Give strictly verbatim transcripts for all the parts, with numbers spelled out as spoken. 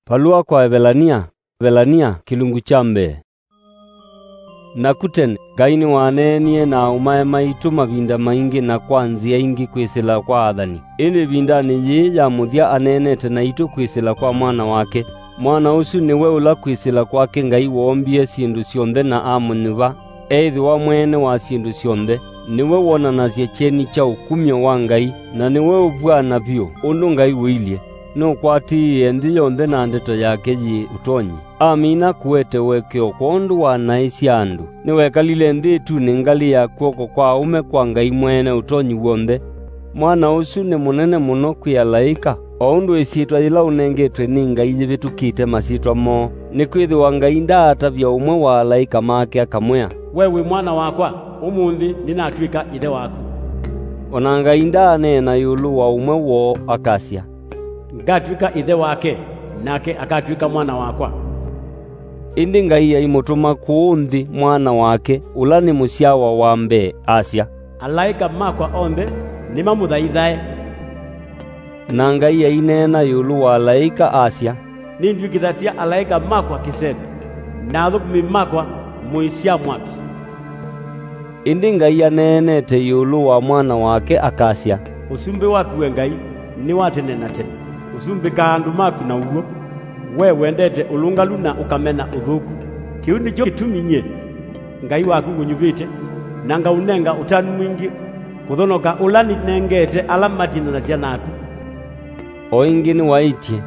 Valũa kwa Evelania. Evelania, kĩlungu kya mbee. Naku tene, Ngai nĩwaneenie na aũmae maitũ mavinda maingĩ na kwa nzĩa ingĩ kwĩsĩla kwa athani. Ĩndĩ ĩvindanĩ yĩĩ ya mũthya aneenete naitũ kwĩsĩla kwa Mwana wake. Mwana ũsu nĩwe ũla kwĩsĩla kwake Ngai woombie syĩndũ syonthe na amũnyuva, eĩthĩwa mwene wa syĩndũ syonthe. Nĩwe wonanasya kyeni kya ũkumyo wa Ngai, na nĩwe ũvw'ana vyũ ũndũ Ngai ũilye. Nũkwatĩĩe nthĩ yonthe na ndeto yake yĩ ũtonyi. Amina kũete ũekeo kwondũ wa naĩ sya andũ. Nĩwekalile nthĩ ĩtunĩ ngalĩ ya kw'oko kwa aũme kwa Ngai Mwene Ũtonyi W'onthe. Mwana ũsu nĩ mũnene mũno kwĩ alaĩka, o ũndũ ĩsyĩtwa yĩla ũnengetwe nĩ Ngai yĩvĩtũkĩte masyĩtwa moo, nĩkwĩthĩwa Ngai ndaatavya ũmwe wa alaĩka make akamwĩa, "We wĩ mwana wakwa, ũmũnthĩ nĩnatw'ĩka ĩthe waku." O na Ngai ndaaneena ĩũlũ wa ũmwe woo akasya, "Ngatw'ĩka ĩthe wake, nake akatw'ĩka mwana wakwa." Ĩndĩ Ngai aimũtũma kũũ nthĩ Mwana wake, ũla nĩ mũsyawa wa mbee, asya, "Alaĩka makwa onthe nĩmamũthaithae." Na Ngai aineena ĩũlũ wa alaĩka, asya, "Nĩndw'ĩkĩthasya alaĩka makwa kĩseve, na athũkũmi makwa mũĩ sya mwaki." Ĩndĩ Ngai aneenete ĩũlũ wa Mwana wake, akasya, "Ũsumbĩ waku, we Ngai, nĩ wa tene na tene. Ũsumbĩkaa andũ maku na ũw'o. We wendete ũlũngalu na ũkamena ũthũku. Kĩu nĩkyo kĩtumi nyie, Ngai waku, ngũnyuvĩte, na ngaũnenga ũtanu mwingĩ kũthonoka ũla nĩnengete ala matindanasya naku." O ĩngĩ nĩwaĩtye,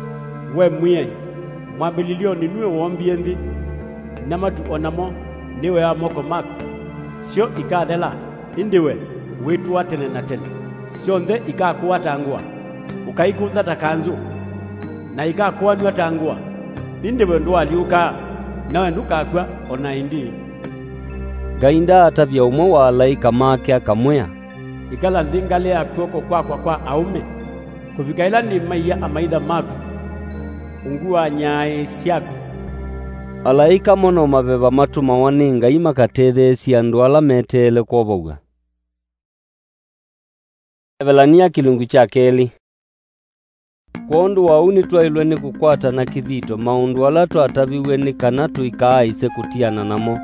"We Mwĩai, mwambĩlĩlyonĩ nue woombie nthĩ, na matu o namo nĩ wĩa wa moko maku. Syo ikathela, ĩndĩ we wĩtũa tene na tene. Syonthe ikakũa ta ngũa, ũkaikũnza ta kanzũ, na ikakũanw'a ta ngũa, ĩndĩ we ndũalyũkaa, nawe ndũkakw'a o na ĩndĩĩ." Ngai ndaatavya ũmwe wa alaĩka make akamwĩa, "Ĩkala nthĩ ngalĩ ya kw'oko kwakwa kwa aũme, kũvika ĩla nĩmaia amaitha maku ungu wa nyaaĩ syaku." Alaĩka mo no maveva matũmawa nĩ Ngai makatetheesye andũ ala meteele kwovow'a. Evelania kĩlungu kya kelĩ. Kwondũ wa ũu nĩtwaĩlwe nĩ kũkwata na kĩthito maũndũ ala twataviw'e nĩ kana tũikaaĩse kũtiana namo.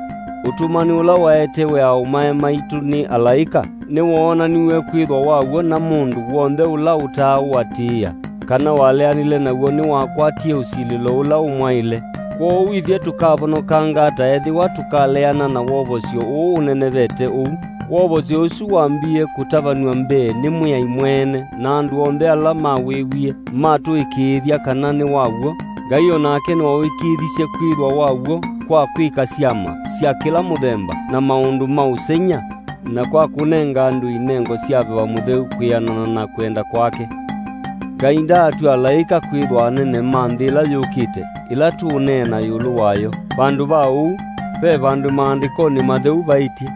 Ũtũmani ũla waetewe aũmae maitũ nĩ alaĩka nĩwoonaniw'e kwĩthwa wa w'o na mũndũ w'onthe ũla ũtaaũatĩĩa, kana waleanile naw'o nĩwakwatie ũsilĩlo ũla ũmwaĩle. Kwoou ithyĩ tũkavonokanga ata ethĩwa tũkaleana na wovosyo ũũ ũnenevete ũu? Wovosyo ũsu wambie kũtavanw'a mbee nĩ Mwĩai mwene, na andũ onthe ala mawĩwie matũĩkĩĩthya kana nĩ wa w'o. Ngai o nake nĩwaũĩkĩĩthisye kwĩthwa wa w'o kwa kwĩka syama sya kĩla mũthemba na maũndũ ma ũsengy'a, na kwa kũnenga andũ inengo sya Veva Mũtheu kwĩanana na kwenda kwake. Ngai ndaatw'a alaĩka kwĩthwa anene ma nthĩ ĩla yũkĩte, ĩla tũũneena ĩũlũ wayo. Vandũ va ũu, ve vandũ maandĩkonĩ matheu vaĩtye,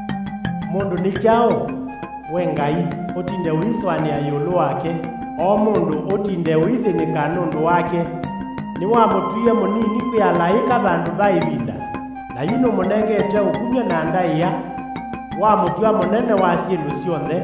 "Mũndũ nĩ kyaũ, we Ngai, ũtinde ũisũanĩa ĩũlũ wake, o mũndũ ũtinde ũithĩnĩka nũndũ wake? Nĩwamũtwie mũnini kwĩ alaĩka vandũ va ĩvinda, na yu nũmũnengete ũkumyo na ndaĩa, wamũtw'a mũnene wa syĩndũ syonthe."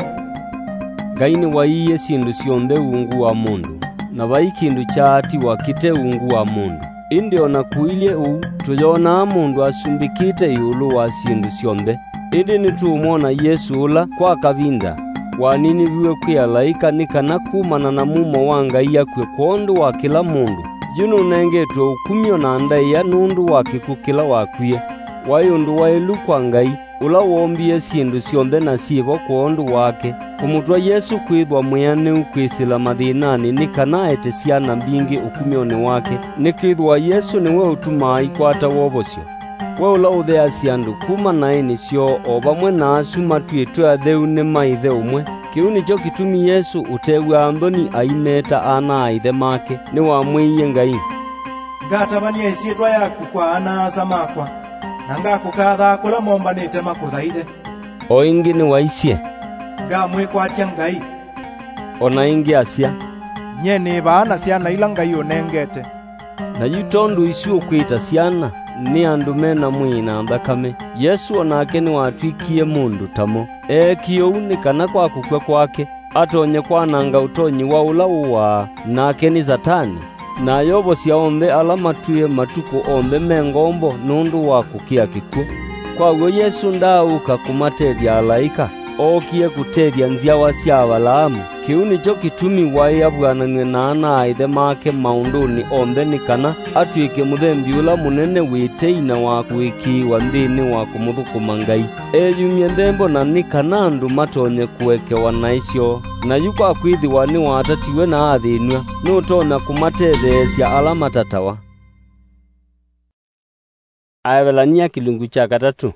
Ngai nĩwaiie syĩndũ syonthe ungu wa mũndũ, na vai kĩndũ kyaatiwa kĩte ungu wa mũndũ. Ĩndĩ o na kũilyĩ ũu, tũyonaa mũndũ asumbĩkĩte ĩũlũ wa syĩndũ syonthe. Ĩndĩ nĩtũũmwona Yesũ ũla, kwa kavinda, waniniviw'e kwĩ alaĩka nĩ kana kumana na mumo wa Ngai akw'e kwondũ wa kĩla mũndũ, yu nũnengetwe ũkumyo na ndaĩa nũndũ wa kĩkw'ũ kĩla wakwie. Waĩ ũndũ waĩlu kwa Ngai, ũla woombie syĩndũ syonthe na syĩ vo kwondũ wake, kũmũtw'a Yesũ kwĩthwa mwĩanĩu kwĩsĩla mathĩnanĩ nĩ kana aete syana mbingĩ ũkumyonĩ wake, nĩkwĩthĩwa Yesũ nĩwe ũtumaa ikwata wovosyo. We ũla ũtheasya andũ kuma naĩnĩ syoo o vamwe na asu matw'ĩtwe atheu nĩ ma Ĩthe ũmwe. Kĩu nĩkyo kĩtumi Yesũ ũtew'aa nthoni aimeta ana a Ĩthe make, nĩwamwĩie Ngai, "Ngatavany'a ĩsyĩtwa yaku kwa ana-a-asa makwa, na ngakũkathaa kũla mombanĩte makũthaithe." O ĩngĩ nĩwaisye, "Ngamwĩkwatya Ngai." O na ĩngĩ asya, "Nyie nĩ vaa na syana ila Ngai ũnengete." Na yu tondũ isu ũkwĩta syana, nĩ andũ me na mwĩĩ na nthakame, Yesũ o nake nĩwatw'ĩkie mũndũ ta mo. Eekie ũu nĩ kana kwa kũkw'a kwake, atonye kwananga ũtonyi wa ũla ũaa, nake nĩ Satani. na ayovosya onthe ala matwĩe matukũ onthe me ngombo nũndũ wa kũkĩa kĩkw'ũ. Kwa w'o Yesũ ndaaũka kũmatethya alaĩka, ookie kũtethya nzyawa sya Avalaamu. Kĩu nĩkyo kĩtumi waĩ avw'ananw'e na ana-a-ĩthe make maũndũnĩ onthe, nĩ kana atw'ĩke mũthembi ũla mũnene wĩ tei na wa kũĩkĩĩwa nthĩnĩ wa kũmũthũkũma Ngai. Eyumye nthembo, na nĩ kana andũ matonye kũekewa naĩ syoo. Na yu kwa kwĩthĩwa nĩwatatiwe na athĩnw'a, nũtonya kũmatetheesya ala matatawa. Aevelania kĩlungu kya katatũ.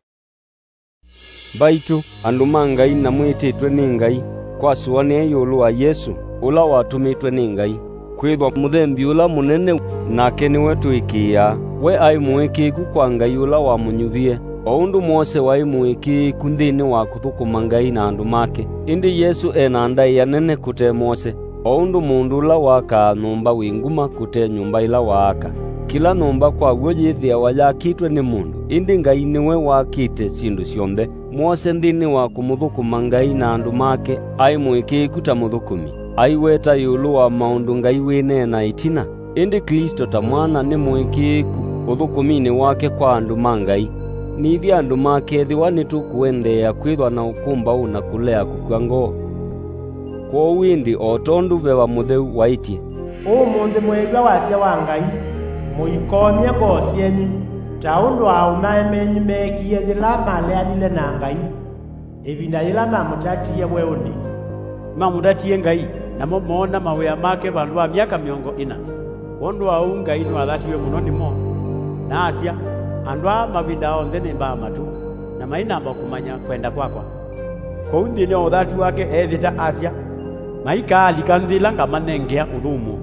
Mbaitũ, andũ ma Ngai na mwĩtĩtwe nĩ Ngai, kwasũanĩa ĩũlũ wa Yesũ, ũla watũmĩtwe nĩ Ngai, kwĩthwa mũthembi ũla mũnene, nake nĩwe tũĩkĩĩaa. We aĩ mũĩkĩĩku kwa Ngai ũla wamũnyuvie, o ũndũ Mose waĩ mũĩkĩĩku nthĩnĩ wa kũthũkũma Ngai na andũ make. Ĩndĩ Yesũ e na ndaĩa nene kũte Mose, o ũndũ mũndũ ũla wakaa nyũmba wĩ nguma kũte nyũmba ĩla waaka. Kĩla nyũmba kwa w'o yĩthĩawa yakĩtwe nĩ mũndũ, ĩndĩ Ngai nĩwe wakĩte syĩndũ syonthe. Mose nthĩnĩ wa kũmũthũkũma Ngai na andũ make, aĩ mũĩkĩĩku ta mũthũkũmi, aiweta ĩũlũ wa maũndũ Ngai wĩneena ĩtina. Ĩndĩ Klĩsto ta mwana nĩ mũĩkĩĩku ũthũkũminĩ wake kwa andũ ma Ngai. Nĩ ithyĩ andũ make, ethĩwa nĩtũkũendeea kwĩthwa na ũkũmbaũ na kũlea kũkw'a ngoo. Kwoou ĩndĩ, o tondũ Veva Mũtheu waĩtye, "Ũmũnthĩ mwĩĩw'a wasya wa Ngai, mũikomye ngoo syenyu, ta ũndũ aaũmae menyu meekie yĩla maleanile na Ngai, ĩvinda yĩla mamũtatie weũnĩ." Nĩmamũtatie Ngai, namo moona mawĩa make vandũ va myaka mĩongo ĩna. Kwondũ wa ũu Ngai nĩwathatiwe mũno nĩmo, na asya, "Andũ aa mavindaa onthe nĩmbaa matũ, na mainamba kũmanya kwenda kwakwa." Kwoou nthĩnĩ wa ũthatu wake eevĩta asya, "Maikaalika nthĩ ĩla ngamanengea ũthũmũo."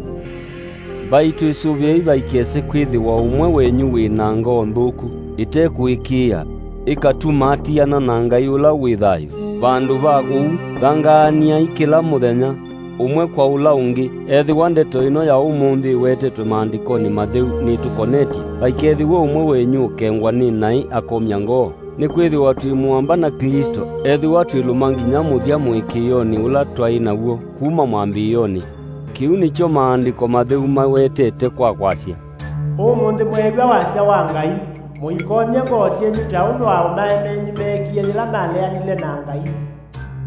Mbaitũ, ĩsũvĩei vaikese kwĩthĩwa ũmwe wenyu wĩ na ngoo nthũku ĩte kũĩkĩĩa, ĩkatuma atiana na Ngai ũla wĩ thayũ. Vandũ va ũu, thangaaniai kĩla mũthenya, ũmwe kwa ũla ũngĩ. Ethĩwa ndeto ĩno ya ũmũnthĩ ĩwetetwe Maandĩkonĩ Matheu nĩtũkonetye, vaikethĩwe ũmwe wenyu ũkengwa nĩ naĩ akomya ngoo. Nĩkwĩthĩwa twĩ mũamba na Klĩsto, ethĩwa twĩlũma nginya mũthya mũĩkĩĩonĩ ũla twaĩ naw'o kuma mwambĩĩonĩ. Kĩu nĩkyo Maandĩko Matheu mawetete kwa kwasya, "Ũmũnthĩ mwĩĩw'a wasya wa Ngai, mũikomye ngoo syenyu ta ũndũ aũmae menyu meekie yĩla maleanile na Ngai."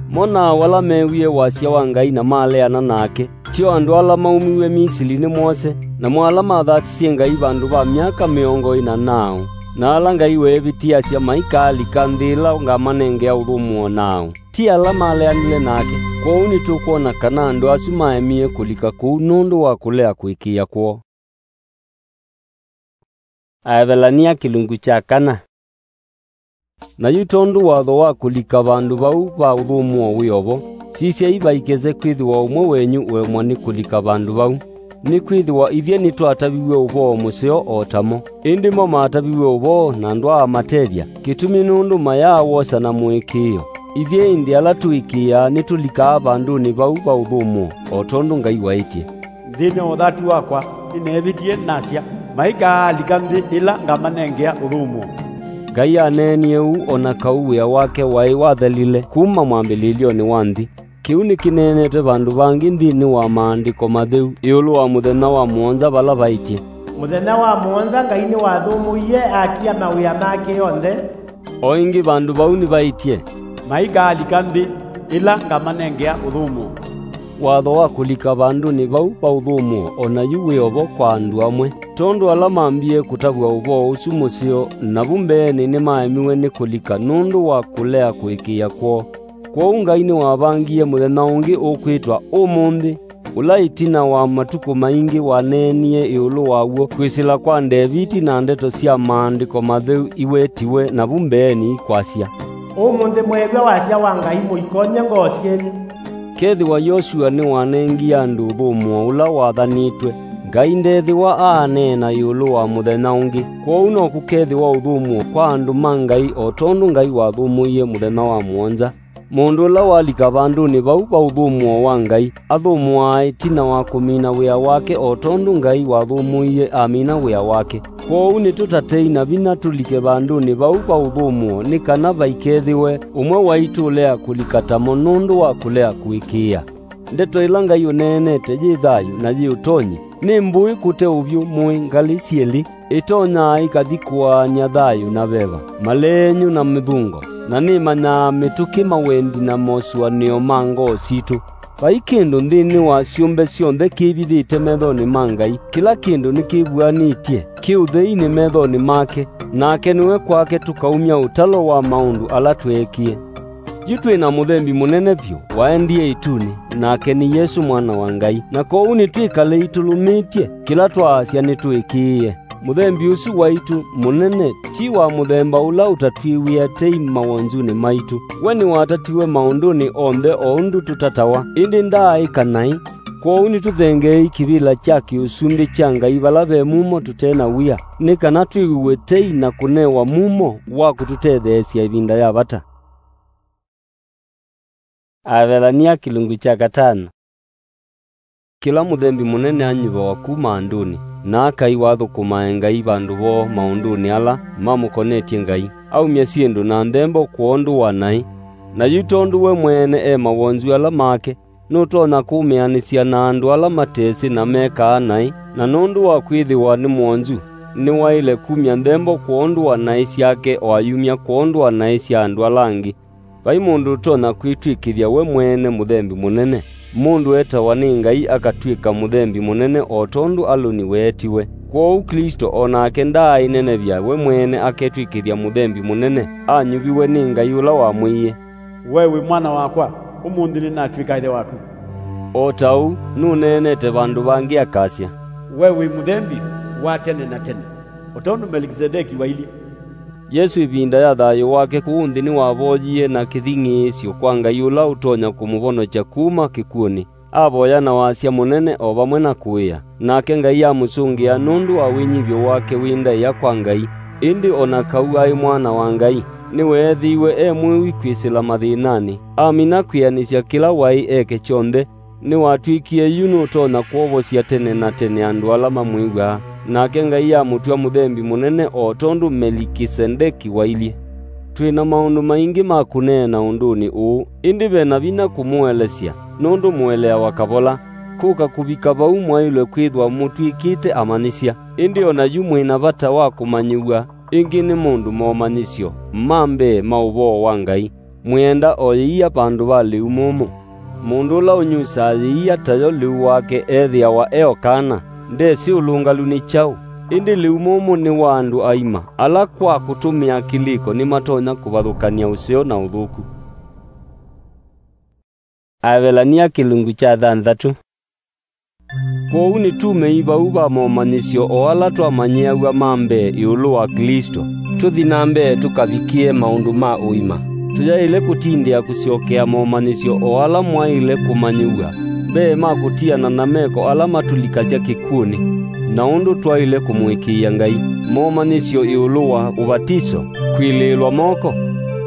Mo nao ala meewie wasya wa Ngai na maleana nake, tyo andũ ala maumiw'e Misili nĩ Mose, namo ala mathatisye Ngai vandũ va myaka mĩongo ĩna naaũ, na ala Ngai weevĩtĩasya maikaalika nthĩ ĩla ngamanengea ũthũmũo naaũ? Ti ala maleanile nake? Kwoou nĩtũkwona kana andũ asu maemie kũlika kũu nũndũ wa kũlea kũĩkĩĩa kwoo. Aevelania kĩlungu kya kana. Na yu tondũ watho wa kũlika vandũ vau va ũthũmũo wĩ o vo, sisyai vaikese kwĩthĩwa ũmwe wenyu ũemwa nĩ kũlika vandũ vau. Nĩkwĩthĩwa ithyĩ nĩtwataviw'e ũvoo mũseo o ta mo, ĩndĩ mo maataviw'e ũvoo na ndwaamatethya, kĩtumi nũndũ mayaa wosa na mũĩkĩĩo. Ithyĩ ĩndĩ ala tũĩkĩĩaa nĩtũlikaa vandũnĩ vau va ũthũmũo, o tondũ Ngai waĩtye, "Nthĩnĩ wa ũthatu wakwa nĩneevĩtie nasya, maikaalika nthĩ ĩla ngamanengea ũthũmũo." Ngai aneenie ũu o na kau wĩa wake waĩ wathelile kuma mwambĩlĩlyonĩ wa nthĩ. Kĩu nĩkĩneenetwe vandũ vangĩ nthĩnĩ wa Maandĩko Matheu ĩũlũ wa mũthenya wa mũonza, vala vaĩtye, "Mũthenya wa mũonza Ngai nĩwathũmũie atia mawĩa make onthe." O ĩngĩ vandũ vau nĩvaĩtye, "Maikaalika nthĩ ĩla ngamanengea ũthũmũo." Watho wa kũlika vandũnĩ vau va ũthũmũo o na yu wĩ o vo kwa andũ amwe, tondũ ala mambie kũtavw'a ũvoo ũsu mũseo navu mbeenĩ nĩmaemiwe nĩ kũlika nũndũ wa kũlea kũĩkĩĩa kwoo. Kwoou Ngai nĩwavangie mũthenya ũngĩ ũkwĩtwa ũmũnthĩ, ũla ĩtina wa matukũ maingĩ waneenie ĩũlũ waw'o kwĩsĩla kwa Ndeviti na ndeto sya Maandĩko Matheu iwetiwe navu mbeenĩ ikwasya, "Ũmũnthĩ mwĩĩw'a wasya wa Ngai, mũikomye ngoo syenyu." Kethĩwa Yosua nĩwanengie andũ ũthũmũo ũla wathanĩtwe, Ngai ndethĩwa aaneena ĩũlũ wa mũthenya ũngĩ. Kwoou no kũkethĩwa ũthũmũo kwa andũ ma Ngai o tondũ Ngai wathũmũie mũthenya wa mũonza. Mũndũ ũla walika vandũnĩ vau va ũthũmũo wa Ngai athũmũaa ĩtina wa kũmina wĩa wake o tondũ Ngai wathũmũie amina wĩa wake. Kwoou nĩtũtatei na vinya tũlike vandũnĩ vau va ũthũmũo, nĩ kana vaikethĩwe ũmwe waitũ ũlea kũlika tamo nũndũ wa kũlea kũĩkĩĩa. Ndeto ĩla Ngai ũneenete yĩ thayũ na yĩ ũtonyi, Nĩmbũĩ kũte ũvyũ mũĩ ngalĩ syelĩ, ĩtonyaa ĩkathi kũaany'a thayũ na veva, malenyu na mĩthũngo, na nĩmanyaa mĩtũkĩ, mawendi na mosũanĩo ma ngoo sitũ. Vai kĩndũ nthĩnĩ wa syũmbe syonthe kĩvithĩte methonĩ ma Ngai. Kĩla kĩndũ nĩkĩvuanĩtye kĩ ũtheinĩ methonĩ make, nake nĩwe kwake tũkaumya ũtalo wa maũndũ ala tweekie. Yu twĩ na mũthembi mũnene vyũ waendie ĩtunĩ, nake nĩ Yesũ, Mwana wa Ngai, na kwoou nĩtwĩkalei tũlũmĩtye kĩla twaasya nĩtwĩkĩĩe. Mũthembi ũsu waitũ mũnene ti wa mũthemba ũla ũtatwĩw'ĩa tei mawonzunĩ maitũ. We nĩwatatiwe maũndũnĩ onthe o ũndũ tũtatawa, ĩndĩ ndaaĩka naĩ. Kwoou nĩtũthengeei kĩvĩla kya kĩ-ũsumbĩ kya Ngai vala ve mumo tũte na wia, nĩ kana twĩw'ĩw'e tei na kũnewa mumo wa kũtũtetheesya ĩvinda ya vata. Aevelania kĩlungu kya katano. Kĩla mũthembi mũnene anyuvawa kuma andũnĩ, na akai wathũkũmae Ngai vandũ voo maũndũnĩ ala mamũkonetye Ngai, aumya syĩndũ na nthembo kwondũ wa naĩ. Na yu tondũ we mwene e mawonzu ala make, nũtonya kũmĩanĩsya na andũ ala matesĩ na mekaa naĩ, na nũndũ wa kwĩthĩwa nĩ mwonzu, nĩwaĩle kumya nthembo kwondũ wa naĩ syake, o ayumya kwondũ wa naĩ sya andũ ala angĩ. Vai mũndũ ũtonya kwĩtw'ĩkĩthya we mwene mũthembi mũnene. Mũndũ etawa nĩ Ngai akatw'ĩka mũthembi mũnene o tondũ Alũni weetiwe. Kwoou Klĩsto o nake ndaaĩnenevya we mwene aketw'ĩkĩthya mũthembi mũnene, anyuviwe nĩ Ngai ũla wamwĩie, "We wĩ Mwana wakwa, ũmũnthĩ nĩnatw'ĩka Ĩthe waku." O ta ũu nũneenete vandũ vangĩ akasya, "We wĩ mũthembi wa tene na tene, o tondũ Melikisedeki wailyĩ." Yesũ ĩvinda ya thayũ wake kũũ nthĩ nĩwavoyie na kĩthing'ĩĩsyo kwa Ngai ũla ũtonya kũmũvonokya kuma kĩkw'ũnĩ. Avoya na wasya mũnene o vamwe na kũĩa, nake Ngai amũsũngĩa nũndũ wa wĩnyivyo wake wĩ ndaĩa kwa Ngai. Ĩndĩ o na kau aĩ Mwana wa Ngai, nĩweethĩiwe e mwĩwi kwĩsĩla mathĩnanĩ, amina kwĩanĩsya kĩla waĩ eke kyonthe. Nĩwatw'ĩkie yu nũtonya kwovosya tene na tene andũ ala mamwĩw'aa, nake Ngai amũtw'a mũthembi mũnene o tondũ Melikisedeki wailyĩ. Twĩ na maũndũ maingĩ ma kũneena ũndũnĩ ũũ, ĩndĩ ve na vinya kũmũelesya, nũndũ mũeleawa kavola. Kũka kũvika vau mwaĩlwe kwĩthwa mũtw'ĩkĩte amanyĩsya, ĩndĩ o na yu mwĩ na vata wa kũmanyĩw'a ĩngĩ nĩ mũndũ momanyĩsyo ma mbee ma ũvoo wa Ngai. Mwĩenda o yĩia vandũ va lĩu mũmũ. Mũndũ ũla ũnyusaa yĩia tayo lĩu wake ethĩawa e o kana, ndesĩ ũlũngalu nĩ kyaũ. Ĩndĩ lĩu mũmũ nĩ wa andũ aima, ala kwa kũtũmĩa kĩlĩko nĩmatonya kũvathũkany'a ũseo na ũthũku. Aevelania kĩlungu kya thanthatũ. Kwoou nĩtumei vau va momanyĩsyo o ala twamanyĩaw'a ma mbee ĩũlũ wa Klĩsto, tũthi na mbee tũkavikĩe maũndũ ma ũima. Tũyaĩle kũtindĩa kũsyokea momanyĩsyo o ala mwaĩle kũmanyĩw'a mbee ma kũtiana na meko ala matũlikasya kĩkw'ũnĩ, na ũndũ twaĩle kũmũĩkĩĩa Ngai, momanyĩsyo ĩũlũ wa ũvatiso, kwĩlĩĩlwa moko,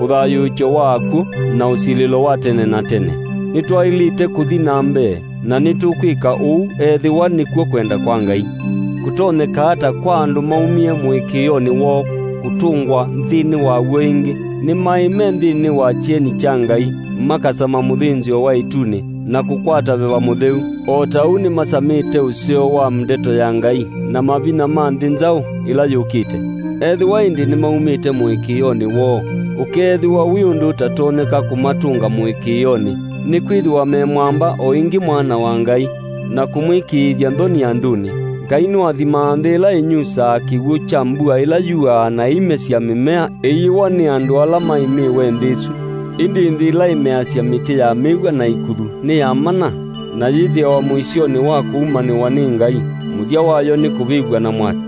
ũthayũũkyo wa akw'ũ, na ũsilĩlo wa tene na tene. Nĩtwaĩlĩte kũthi na mbee, na nĩtũkwĩka ũu ethĩwa nĩkw'o kwenda kwa Ngai. Kũtonyeka ata kwa andũ maumie mũĩkĩĩonĩ woo kũtũngwa nthĩnĩ waw'o ĩngĩ? Nĩmaĩ me nthĩnĩ wa kyeni kya Ngai, makasama mũthĩnzĩo wa ĩtunĩ, na kũkwata Veva Mũtheu. O ta ũu nĩmasamĩte ũseo wa ndeto ya Ngai na mavinya ma nthĩ nzaũ ĩla yũkĩte. Ethĩwa ĩndĩ nĩmaumĩte mũĩkĩĩonĩ woo, ũkeethĩwa wĩ ũndũ ũtatonyeka kũmatũnga mũĩkĩĩonĩ, nĩkwĩthĩwa me mwamba o ĩngĩ Mwana wa Ngai, na kũmwĩkĩĩthya nthoni andũnĩ. Ngai nĩwathimaa nthĩ ĩla ĩnyusaa kĩw'ũ kya mbua ĩla yuaa na ĩimesya mĩmea ĩyĩwa nĩ andũ ala maimĩĩwe nthĩ ĩsu. Ĩndĩ nthĩ ĩla ĩmeasya mĩtĩ ya mĩw'a na ikuthu nĩ ya mana, na yĩthĩawa mũisyonĩ wa kũumanĩwa nĩ Ngai, mũthya wayo nĩ kũvĩvw'a na mwaki.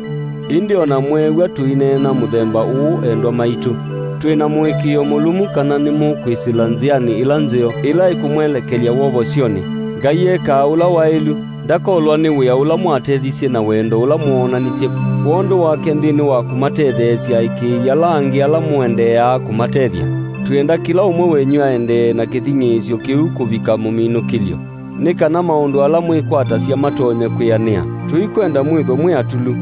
Ĩndĩ o na mweew'a tũineena mũthemba ũũ, endwa maitũ, twĩ na mũĩkĩĩo mũlũmu kana nĩmũkwĩsĩla nzĩanĩ ĩla nzeo ĩla ĩkũmwelekelya wovosyonĩ. Ngai ekaa ũla waĩlu, ndakolwa nĩ wĩa ũla mwatethisye na wendo ũla mwoonanisye kwondũ wake nthĩnĩ wa kũmatetheesya aĩkĩĩi ala angĩ ala mũendeeaa kũmatethya. Twĩenda kĩla ũmwe wenyu aendee na kĩthing'ĩĩsyo kĩu kũvika mũminũkĩlyo, nĩ kana maũndũ ala mwĩkwatasya matonye kwĩanĩa. Tũikwenda mwĩthwe mwĩ atulu.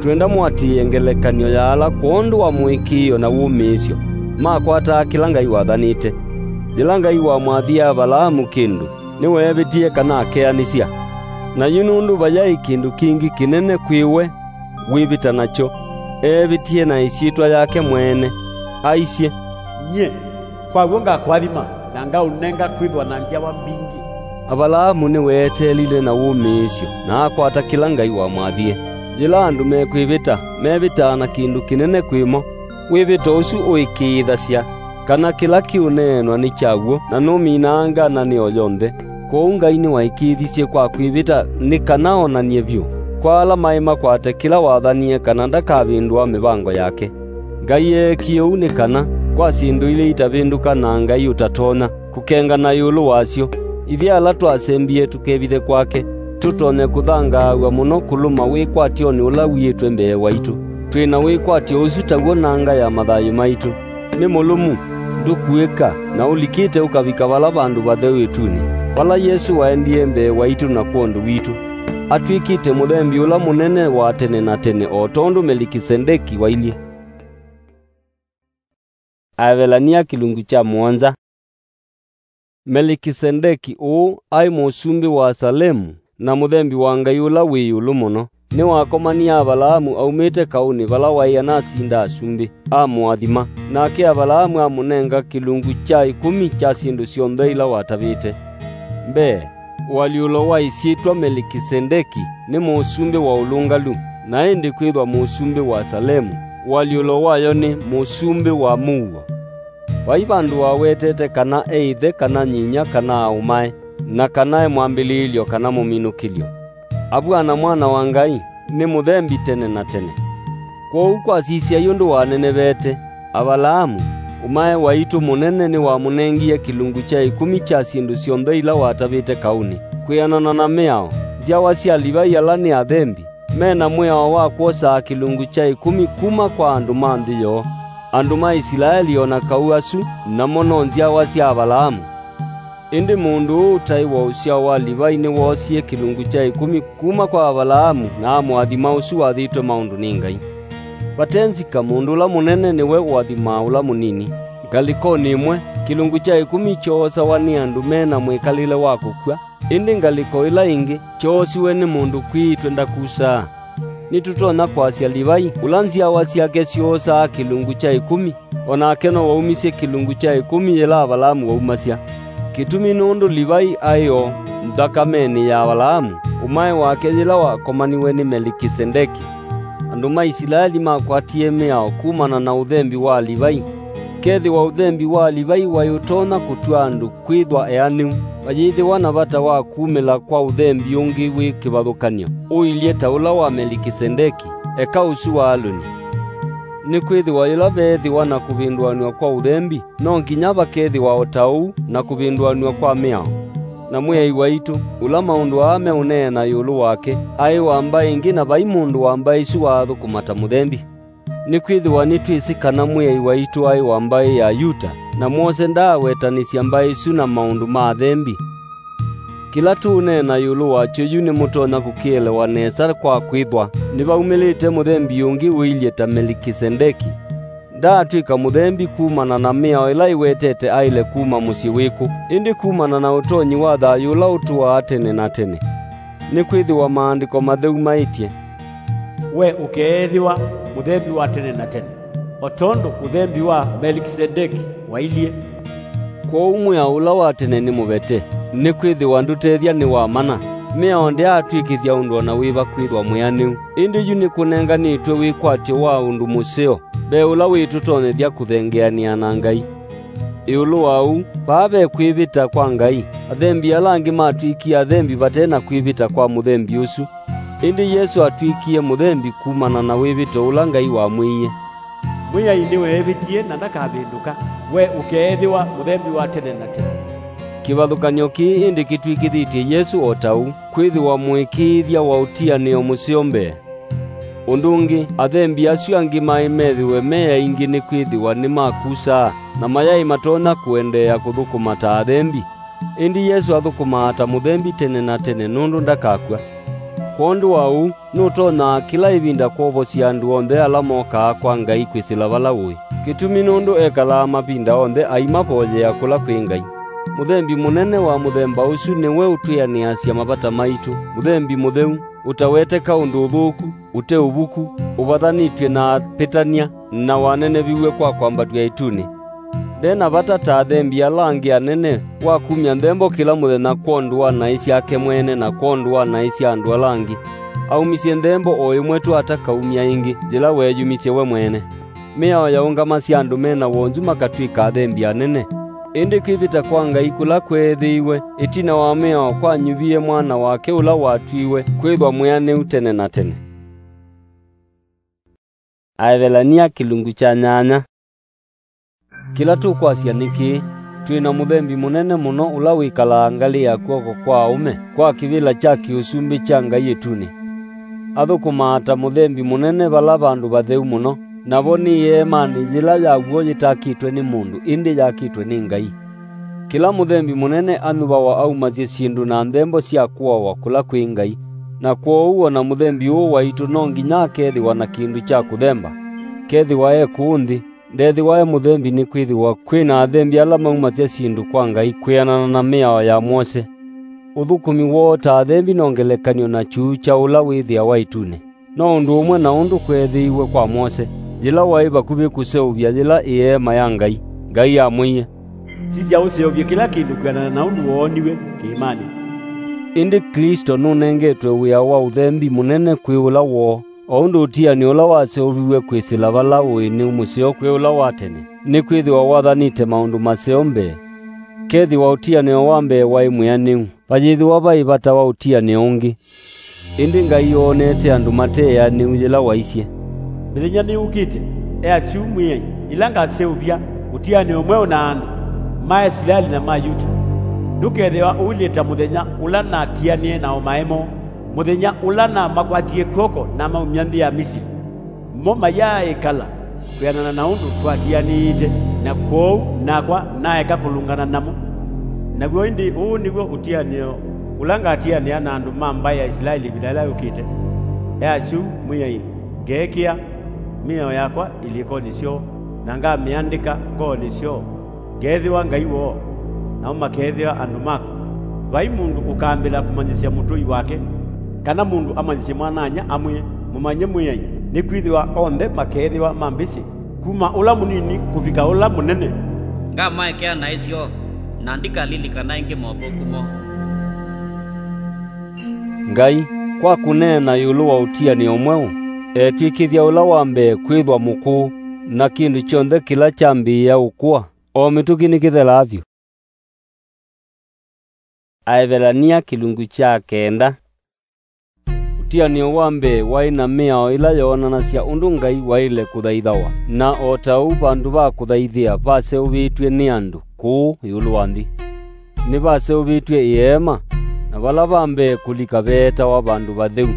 Twĩenda mũatĩĩe ngelekany'o ya ala kwondũ wa mũĩkĩĩo na wũmĩĩsyo makwataa kĩla Ngai wathanĩte. Yĩla Ngai wamwathie Avalaamu kĩndũ, nĩweevĩtie kana akeanĩsya? Na yu nũndũ vayaĩ kĩndũ kĩngĩ kĩnene kwĩ we wĩvĩta nakyo, eevĩtie na ĩsyĩtwa yake mwene, aisye, "Nyie, kwa w'o ngakũathima, na ngaũnenga kwĩthwa na nzyawa mbingĩ." Avalaamu nĩweeteelile na wũmĩĩsyo, na akwata kĩla Ngai wamwathie. Yĩla andũ mekwĩvĩta, mevĩtaa na kĩndũ kĩnene kwĩ mo. Wĩvĩto ũsu ũĩkĩĩthasya kana kĩla kĩũneenwa nĩ kya w'o, na nũminaa ngananĩo yonthe. Kwoou Ngai nĩwaĩkĩĩthisye kwa kwĩvĩta nĩ kana onany'e vyũ kwa ala maĩ makwate kĩla wathanie kana ndakavĩndũa mĩvango yake. Ngai eekie ũu nĩ kana, kwa syĩndũ ila itavĩndũka na Ngai ũtatonya kũkengana ĩũlũ wasyo, ithyĩ ala twasembie tũkevithe kwake, tũtonye kũthangaaw'a mũno kũlũma wĩkwatyonĩ ũla wiĩtwe mbee waitũ. Twĩ na wĩkwatyo ũsu taw'o nanga ya mathayũ maitũ. Nĩ mũlũmu, ndũkuĩka, na ũlikĩte ũkavika vala vandũ vatheu ĩtunĩ, vala Yesũ waendie mbee waitũ na kwondũ witũ. Atw'ĩkĩte mũthembi ũla mũnene wa tene na tene, o tondũ Melikisedeki wailyĩ. Aevelania kĩlungu kya mũonza. Melikisedeki ũũ aĩ mũsumbĩ wa Salemu na mũthembi wa Ngai ũla wĩ ĩũlũ mũno. Nĩwakomanie Avalaamu aumĩte kaũnĩ vala waĩ anasinda asumbĩ, amũathima, nake Avalaamu amũnenga kĩlungu kya ĩkũmi kya syĩndũ syonthe ila watavĩte. Mbee, ũalyũlo wa ĩsyĩtwa Melikisedeki nĩ mũsumbĩ wa ũlũngalu, na ĩndĩ kwĩthwa mũsumbĩ wa Salemu, ũalyũlo wayo nĩ mũsumbĩ wa mũuo. Vai vandũ wawetete kana e ĩthe kana nyinyia kana aũmae, na kana e mwambĩlĩĩlyo kana mũminũkĩlyo. Avw'ana Mwana wa Ngai, nĩ mũthembi tene na tene. Kwoou kwasisya yu ndũwanenevete, Avalaamu, ũmae waitũ mũnene nĩwamũnengie kĩlungu kya ĩkũmi kya syĩndũ syonthe ila watavĩte kaũnĩ, kwĩanana na mĩao. Nzyawa sya Livai ala nĩ athembi, me na mwĩao wa kwosaa kĩlungu kya ĩkũmi kuma kwa andũ ma nthĩ yoo. Andũ ma Isilaeli o na kau asu, namo no nzyawa sya Avalaamu. Ĩndĩ mũndũ ũũ ũtaĩ wa ũsyao wa Livai nĩwoosie kĩlungu kya ĩkũmi kuma kwa Avalaamu na amũathima ũsu wathĩtwe maũndũ nĩ Ngai. Vate nzika, mũndũ ũla mũnene nĩwe ũathimaa ũla mũnini. Ngalĩkonĩ ĩmwe, kĩlungu kya ĩkũmi kyoosawa nĩ andũ me na mwĩkalĩle wa kũkw'a, ĩndĩ ngalĩko ĩla ĩngĩ kyoosiwe nĩ mũndũ kwĩĩtwe ndakusaa. Nĩtũtonya kwasya Livai, ũla nzyawa syake syoosaa kĩlungu kya ĩkũmi, o nake no waumisye kĩlungu kya ĩkũmi yĩla Avalaamu waumasya. Kĩtumi nũndũ Livai aĩ o nthakamenĩ ya Avalaamu, ũmae wake yĩla wakomaniwe nĩ Melikisedeki. Andũ ma Isilaeli makwatie mĩao kumana na ũthembi wa Livai. Kethĩwa ũthembi wa Livai waĩ ũtonya kũtw'a andũ kwĩthwa eanĩu, vayĩthĩwa na vata wa kumĩla kwa ũthembi ũngĩ wĩ kĩvathũkany'o ũilye ta ũla wa Melikisedeki, eka ũsu wa Alũni. Nĩkwĩthĩwa yĩla veethĩwa na kũvĩndũanw'a kwa ũthembi, no nginya vakethĩwa o ta ũu na kũvĩndũanw'a kwa mĩao. Na Mwĩai waitũ, ũla maũndũ aa meũneena ĩũlũ wake, aĩ wa mbaĩ ĩngĩ, na vai mũndũ wa mbaĩ isu waathũkũma ta mũthembi. Nĩkwĩthĩwa nĩtwĩsĩ kana Mwĩai waitũ aĩ wa mbaĩ ya Yuta, na mwose ndaawetanĩsya mbaĩ isu na maũndũ ma athembi. Kĩla tũũneena ĩũlũ wakyo yu nĩmũtonya kũkĩelewa nesa kwa kwĩthwa nĩvaumĩlĩte mũthembi ũngĩ ũilye ta Melikisedeki. Ndaatw'ĩka mũthembi kumana na mĩao ĩla ĩwetete aĩle kuma mũsyĩ wĩkũ, ĩndĩ kumana na ũtonyi wa thayũ ũla ũtũaa tene na tene. Nĩkwĩthĩwa Maandĩko Matheu maĩtye, "We ũkeethĩwa mũthembi wa tene na tene, o tondũ ũthembi wa Melikisedeki wailyĩ." Kwoou mwĩao ũla wa tene nĩ mũvete, nĩkwĩthĩwa ndũtethya nĩ wa mana. Mĩao ndyaatw'ĩkĩthya ũndũ o na wĩva kwĩthwa mwĩanĩu, ĩndĩ yu nĩkũnenganĩtwe wĩkwatyo wa ũndũ mũseo mbee ũla wĩtũtonyethya kũthengeanĩa na Ngai. Ĩũlũ wa ũu, vaa ve kwĩvĩta kwa Ngai, athembi ala angĩ matw'ĩkie athembi vate na kwĩvĩta kwa mũthembi ũsu. Ĩndĩ Yesũ atw'ĩkie mũthembi kumana na wĩvĩto ũla Ngai wamwĩie. "Mwĩai nĩweevĩtie na ndakavĩndũka, we ũkeethĩwa mũthembi wa tene na tene." Kĩvathũkany'o kĩĩ ĩndĩ kĩtw'ĩkĩthĩtye Yesũ o ta ũu, kwĩthĩwa mũĩkĩĩthya wa ũtianĩo mũseo mbee. Ũndũ ũngĩ, athembi asu angĩ maĩ methĩwe me aingĩ nĩkwĩthĩwa nĩmakusaa, na mayaĩ matonya kũendeea kũthũkũma ta athembi. Ĩndĩ Yesũ athũkũmaa ta mũthembi tene na tene nũndũ ndakakw'a. Kwondũ wa ũu, nũtonyaa kĩla ĩvinda kwovosya andũ onthe ala mokaa kwa Ngai kwĩsĩla vala ũĩ. Kĩtumi nũndũ ekalaa mavinda onthe aimavoyea kũla kwĩ Ngai. Mũthembi mũnene wa mũthemba ũsu nĩwe ũtwĩanĩasya mavata maitũ, mũthembi mũtheu, ũtaweteka ũndũ ũthũku, ũte ũvuku, ũvathanĩtw'e na apĩtany'a, na waneneviw'e kwa kwambatw'a ĩtunĩ. Nde na vata ta athembi ala angĩ anene wa kumya nthembo kĩla mũthenya kwondũ wa naĩ syake mwene na kwondũ wa naĩ sya andũ ala angĩ. Aumisye nthembo o ĩmwe tu atakaumya ĩngĩ, yĩla weeyumisye we mwene. Mĩao yaũngamasya andũ me na wonzu makatw'ĩka athembi anene. Ĩndĩ kwĩvĩta kwa Ngai kũla kweethĩiwe ĩtina wa mĩao kwanyuvie Mwana wake ũla watwiwe kwĩthwa mwĩanĩu tene na tene. Aevelania kĩlungu kya nyanya. Kĩla tũkwasya nĩ kĩĩ: twĩ na mũthembi mũnene mũno ũla wĩkalaa ngalĩ ya kw'oko kwa aũme kwa kĩvĩla kya kĩũsumbĩ kya Ngai ĩtunĩ. Athũkũmaa ta mũthembi mũnene vala vandũ vatheu mũno, navo nĩ ĩeemanĩ yĩla ya w'o yĩtakĩtwe nĩ mũndũ, ĩndĩ yakĩtwe nĩ Ngai. Kĩla mũthembi mũnene anyuvawa aumasye syĩndũ na nthembo sya kũawa kũla kwĩ Ngai, na kwoou o na mũthembi ũũ waitũ no nginya akethĩwa na kĩndũ kya kũthemba, kethĩwa e kũũ nthĩ. Ndethĩwa e mũthembi nĩkwĩthĩwa kwĩ na athembi ala maumasya syĩndũ kwa Ngai kwĩanana na mĩao ya Mwose. Ũthũkũmi woo ta athembi no ngelekany'o na kyuu kya ũla wĩthĩawa ĩtunĩ. No ũndũ ũmwe na ũndũ kweethĩiwe kwa Mwose, yĩla waĩ vakuvĩ kũseũvya yĩla ĩeema ya Ngai, Ngai amwĩie, "Sisya ũseũvye kĩla kĩndũ kwĩanana na ũndũ wooniw'e kĩĩmanĩ." Ĩndĩ Klĩsto nũnengetwe wĩa wa ũthembi mũnene kwĩ ũla woo, o ũndũ ũtianĩo ũla waseũviw'e kwĩsĩla vala ũĩ nĩ mũseo kwĩ ũla wa tene, nĩkwĩthĩwa wathanĩte maũndũ maseo mbee. Kethĩwa ũtianĩo wa mbee waĩ mwĩanĩu, vayĩthĩwa vaĩ vata wa ũtianĩo ũngĩ. Ĩndĩ Ngai oonete andũ mate eanĩu yĩla waisye, "Mĩthenya nĩyũkĩte, e asyũ Mwĩai, ĩla ngaseũvya ũtianĩo mweũ na andũ ma Isilaeli na ma Yuta. Ndũkethĩwa ũilyĩ ta mũthenya ũla natianĩe na o maemo, mũthenya ũla namakwatie kw'oko namaumya nthĩ ya Misili. Mo mayaaĩkala kwĩanana na ũndũ twatianĩĩte, na kwoou nakwa naeka kũlũngana namo. Naw'o ĩndĩ ũũ nĩw'o ũtianĩo ũla ngatianĩa na andũ ma mbaĩ ya Isilaeli ĩvinda yĩla yũkĩte. E asyũ Mwĩai, ngeekĩa mĩao yakwa ilĩkonĩ syoo, na ngamĩandĩka ngoonĩ syoo. Ngeethĩwa Ngai woo, namo makeethĩwa andũ makwa. Vai mũndũ ũkambĩla kũmanyĩsya mũtũi wake, kana mũndũ amanyĩsye mwana-a-inyia amwĩe, 'Mũmanye Mwĩai,' nĩkwĩthĩwa onthe makeethĩwa mambĩsĩ, kuma ũla mũnini kũvika ũla mũnene. Ngamaekea naĩ syoo, na ndikalilikana ĩngĩ mothũku moo." Ngai, kwa kũneena ĩũlũ wa ũtianĩo mweũ, etw'ĩkĩthya ũla wa mbee kwĩthwa mũkũũ, na kĩndũ kyonthe kĩla kyambĩĩa ũkũa, o mĩtũkĩ nĩkĩthelaa vyũ. Aevelania kĩlungu kya kenda. Ũtianĩo wa mbee waĩ na mĩao ĩla yoonanasya ũndũ Ngai waĩle kũthaithawa, na o ta ũu vandũ va kũthaithĩa vaseũvĩtw'e nĩ andũ kũũ ĩũlũ wa nthĩ. Nĩvaseũvĩtw'e ĩeema, na vala va mbee kũlika veetawa vandũ vatheu,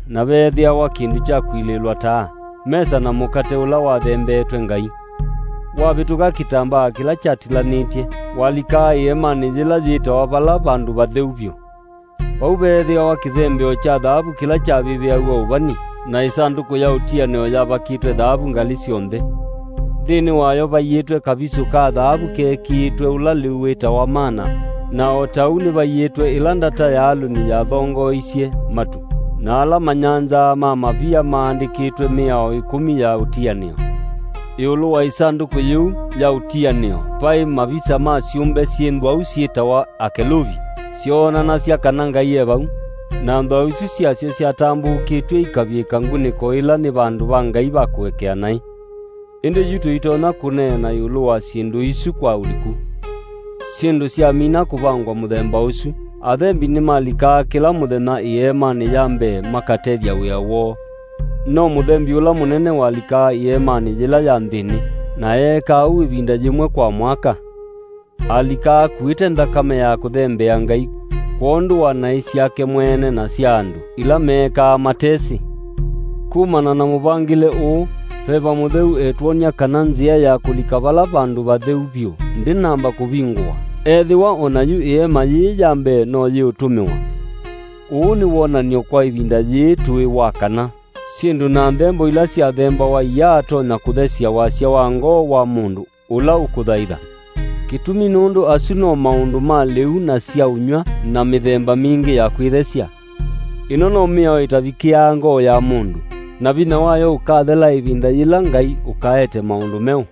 na veethĩawa kĩndũ kya kũilĩĩlwa taa, mesa na mũkate ũla wathembeetwe Ngai. Wavĩtũka kĩtambaa kĩla kyatilanĩtye, walikaa ĩeemanĩ yĩla yĩtawa vala vandũ vatheu vyũ. Vau veethĩawa kĩthembeo kya thaavu kĩla kyavĩvĩaw'a ũvani, na ĩsandũkũ ya ũtianĩo yavakĩtwe thaavu ngalĩ syonthe. Nthĩnĩ wayo vaiĩtwe kavisũ ka thaavu keekĩĩtwe ũla lĩu wĩtawa mana, na o ta ũu nĩvaiĩtwe ĩla ndata ya Alũni yathongoeisye matu, na ala manyanzaa ma mavia maandĩkĩtwe mĩao ĩkũmi ya ũtianĩo. Ĩũlũ wa ĩsandũkũ yĩu ya ũtianĩo vaĩ mavisa ma syũmbe syĩ nthwau syĩtawa akeluvi, syoonanasya kana Ngai e vau, na nthwau isu syasyo syatambũũkĩtw'e ikavĩĩka ngunĩko ĩla nĩ vandũ va Ngai va kũekea naĩ. Ĩndĩ yu tũitonya kũneena ĩũlũ wa syĩndũ isu kwa ũliku. Syĩndũ syamina kũvangwa mũthemba ũsu, athembi nĩmalikaa kĩla mũthenya ĩeemanĩ ya mbee makatethya wĩa woo. No mũthembi ũla mũnene walikaa ĩeemanĩ yĩla ya nthĩnĩ, na eekaa ũu ĩvinda yĩmwe kwa mwaka. Alikaa akuĩte nthakame ya kũthembea Ngai kwondũ wa naĩ syake mwene na sya andũ ila meekaa matesĩ. Kumana na mũvangĩle ũũ, Veva Mũtheu etwony'a kana nzĩa ya kũlika vala vandũ vatheu vyũ ndĩnamba kũvingũwa, ethĩwa o na yu ĩeema yĩĩ ya mbee no yĩũtũmĩwa. Ũũ nĩ wonany'o kwa ĩvinda yĩĩ tũĩ wa kana syĩndũ na nthembo ila syathembawa iyaatonya kũthesya wasya wa ngoo wa mũndũ ũla ũkũthaitha. Kĩtumi nũndũ asu no maũndũ ma lĩu na sya ũnyw'a na mĩthemba mingĩ ya kwĩthesya. Ĩno no mĩao ĩtavikĩaa ngoo ya mũndũ, na vinya wayo ũkathela ĩvinda yĩla Ngai ũkaete maũndũ meũ.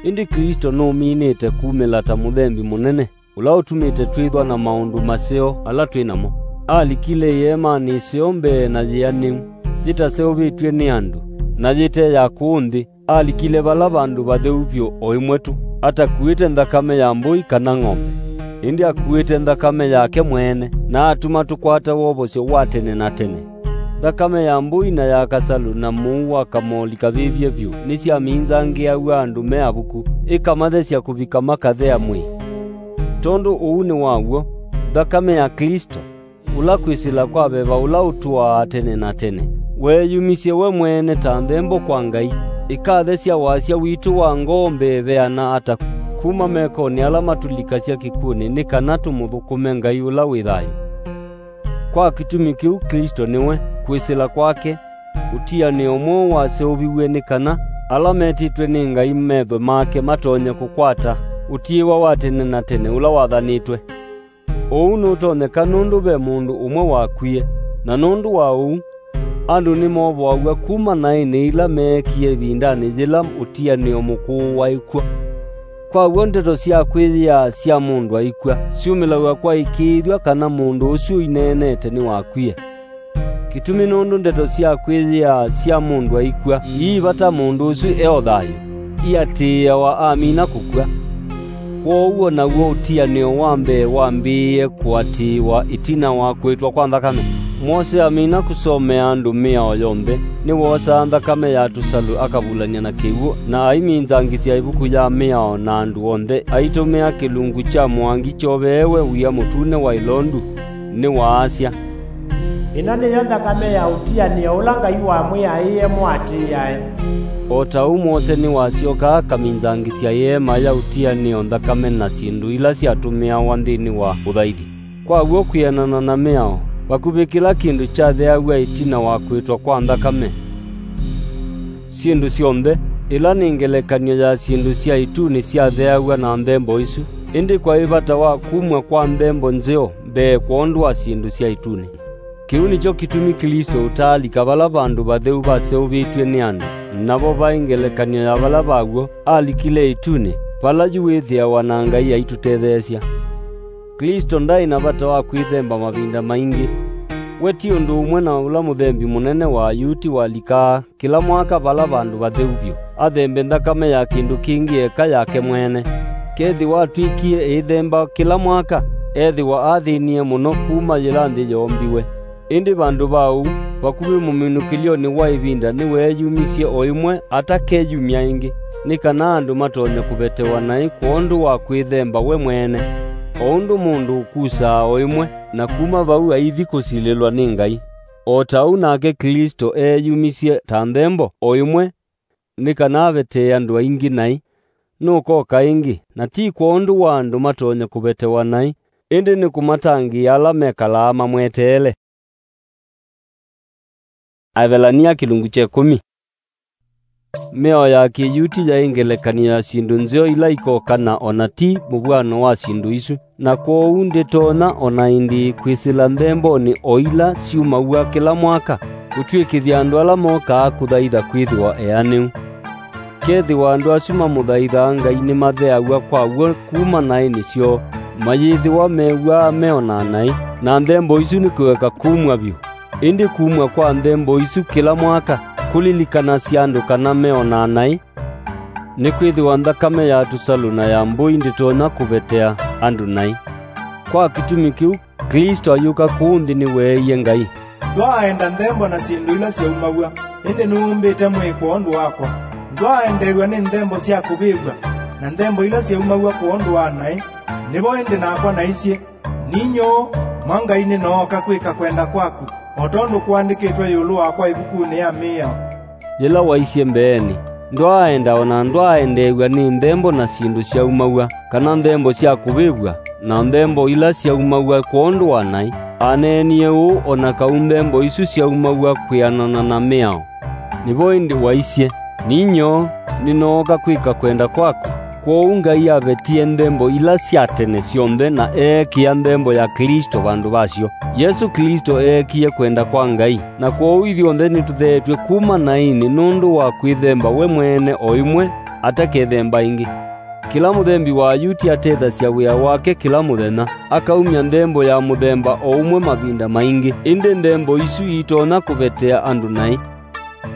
Ĩndĩ Klĩsto nũminĩte kumĩla ta mũthembi mũnene, ũla ũtumĩte twĩthwa na maũndũ maseo ala twĩ namo. Alikile ĩeemanĩ ĩseo mbee na yĩanĩu, yĩtaseũvĩtw'e nĩ andũ, na yĩte ya kũũ nthĩ, alikile vala vandũ vatheu vyũ o ĩmwe tu, atakuĩte nthakame ya mbũi kana ng'ombe, ĩndĩ akuĩte nthakame yake mwene, na atuma tũkwata wovosyo wa tene na tene. Nthakame ya mbũi na ya kasalũ na mũu wa kamoli kavĩvye vyũ nĩsyaminzangĩaw'a andũ me avuku, ĩkamathesya kũvika makathea mwĩĩ. Tondũ ũu nĩ wa w'o, nthakame ya Klĩsto, ũla kwĩsĩla kwa veva ũla ũtũaa tene na tene, weeyumisye we mwene ta nthembo kwa Ngai, ĩkathesya wasya witũ wa ngoo mbee veana ata kuma mekonĩ ala matũlikasya kĩkw'ũnĩ, nĩ kana tũmũthũkũme Ngai ũla wĩ thayũ. Kwa kĩtumi kĩu Klĩsto nĩwe, kwĩsĩla kwake, ũtianĩo mweũ waseũviw'e, nĩ kana ala metĩtwe nĩ Ngai methwe make matonye kũkwata ũtiĩwa wa tene na tene ũla wathanĩtwe. Ũu nũtonyeka nũndũ ve mũndũ ũmwe wakwie, na nũndũ wa ũu, andũ nĩmovoaw'a kuma naĩnĩ ila meekie ĩvindanĩ yĩla ũtianĩo mũkũũ waĩ kw'o. Kwa w'o, ndeto sya kwĩyĩaa sya mũndũ aikw'a syumĩlaw'a kwa ĩkĩĩthw'a kana mũndũ ũsu ũineenete nĩwakwie. Kĩtumi nũndũ ndeto sya kwĩyĩaa sya mũndũ aikw'a ii vata mũndũ ũsu e o thayũ, iatĩĩawa amina kũkw'a. Kwoou o naw'o ũtianĩo wa mbee wambĩĩe kũatĩĩwa ĩtina wa kũĩtwa kwa nthakame. Mose amina kũsomea andũ mĩao yonthe, nĩwoosaa nthakame ya tũsalũ akavulany'a na kĩw'ũ, na aiminzangĩsya ĩvuku ya mĩao na andũ onthe aitũmĩa kĩlungu kya mũangi kyoveewe wia mũtune wa ĩlondu. Nĩwaasya, "Ĩno nĩyo nthakame ya ũtianĩo ũla Ngai wamwĩaĩe mũatĩĩae." O ta ũu Mose nĩwasyokaa akaminzangĩsya ĩeema ya ũtianĩo nthakame na syĩndũ ila syatũmĩawa nthĩnĩ wa ũthaithi. Kwa w'o, kwĩanana na mĩao, vakuvĩ kĩla kĩndũ kyatheaw'a ĩtina wa kũĩtwa kwa nthakame. Syĩndũ syonthe, ĩla nĩ ngelekany'o ya syĩndũ sya ĩtunĩ, syatheaw'a na nthembo isu, ĩndĩ kwaĩ vata wa kumw'a kwa nthembo nzeo mbee kwondũ wa syĩndũ sya ĩtunĩ. Kĩu nĩkyo kĩtumi Klĩsto ũtaalika vala vandũ vatheu vaseũvĩtw'e nĩ andũ, navo vaĩ ngelekany'o ya vala vaw'o alikile ĩtunĩ, vala yu wĩthĩawa na Ngai aitũtetheesya. Klĩsto ndaĩ na vata wa kwĩthemba mavinda maingĩ. We ti ũndũ ũmwe na ũla mũthembi mũnene wa Ayuti walikaa kĩla mwaka vala vandũ vatheu vyũ, athembe nthakame ya kĩndũ kĩngĩ eka yake mwene. Kethĩwa atw'ĩkie ĩithemba kĩla mwaka, ethĩwa athĩnie mũno kuma yĩla nthĩ yoombiwe. Ĩndĩ vandũ va ũu, vakuvĩ mũminũkĩlyonĩ wa ĩvinda nĩweeyumisye o ĩmwe atakeyumya ĩngĩ, nĩ kana andũ matonye kũvetewa naĩ kwondũ wa kwĩthemba we mwene, o ũndũ mũndũ ũkusaa o ĩmwe, na kuma vau aithi kũsilĩlwa nĩ Ngai. O ta ũu nake Klĩsto eeyumisye ta nthembo o ĩmwe nĩ kana avetee andũ aingĩ naĩ, nũkoka ĩngĩ, na ti kwondũ wa andũ matonye kũvetewa naĩ, ĩndĩ nĩ kũmatangĩĩa ala mekalaa mamweteele. Aevelania kĩlungu kya ĩkũmi. Mĩao ya Kĩyuti yaĩ ngelekany'o ya syĩndũ nzeo ila ikoka na o na ti mũvw'ano wa syĩndũ isu, na kwoou ndĩtonya o na ĩndĩĩ kwĩsĩla nthembonĩ o ila syumaw'a kĩla mwaka, kũtw'ĩkĩthya andũ ala mokaa kũthaitha kwĩthĩwa eanĩu. Kethĩwa andũ asu mamũthaithaa Ngai nĩmatheaw'a kwa w'o kuma naĩnĩ syoo, mayĩthĩwa mew'aa me o na naĩ, na nthembo isu nĩ kũeka kumw'a vyũ. Ĩndĩ kumw'a kwa nthembo isu kĩla mwaka kũlilikanasya andũ kana me o na naĩ, nĩkwĩthĩwa nthakame ya tũsalũ na ya mbũi ndĩtonya kũvetea andũ naĩ. Kwa kĩtumi kĩu, Klĩsto ayũka kũũ nthĩ nĩweeie Ngai, "Ndwaaenda nthembo na syĩndũ ila syaumaw'a, ĩndĩ nũũmbĩte mwĩĩ kwondũ wakwa. Ndwaaendeew'a nĩ nthembo sya kũvĩvw'a na nthembo ila syaumaw'a kwondũ wa naĩ. Nĩvo ĩndĩ nakwa naisye, 'Ninyoo, mwa Ngai nĩnooka kwĩka kwenda kwaku, o tondũ kũandĩkĩtwe ĩũlũ wakwa ĩvukunĩ ya mĩao.'" Yĩla waisye mbeenĩ, "Ndwaaenda o na ndwaaendeew'a nĩ nthembo na syĩndũ syaumaw'a, kana nthembo sya kũvĩvw'a, na nthembo ila syaumaw'a kwondũ wa naĩ," aneenie ũũ o na kau nthembo isu syaumaw'a kwĩanana na mĩao. Nĩvo ĩndĩ waisye, "Ninyoo, nĩnooka kwĩka kwenda kwaku," Kwoou Ngai avetie nthembo ila sya tene syonthe na eekĩa nthembo ya Klĩsto vandũ vasyo. Yesũ Klĩsto eekie kwenda kwa Ngai, na kwoou ithyonthe nĩtũtheetw'e kuma naĩnĩ nũndũ wa kwĩthemba we mwene o ĩmwe, atakethemba ĩngĩ. Kĩla mũthembi wa Ayuti atethasya wĩa wake kĩla mũthenya, akaumya nthembo ya mũthemba o ũmwe mavinda maingĩ, ĩndĩ nthembo isu iitonya kũvetea andũ naĩ.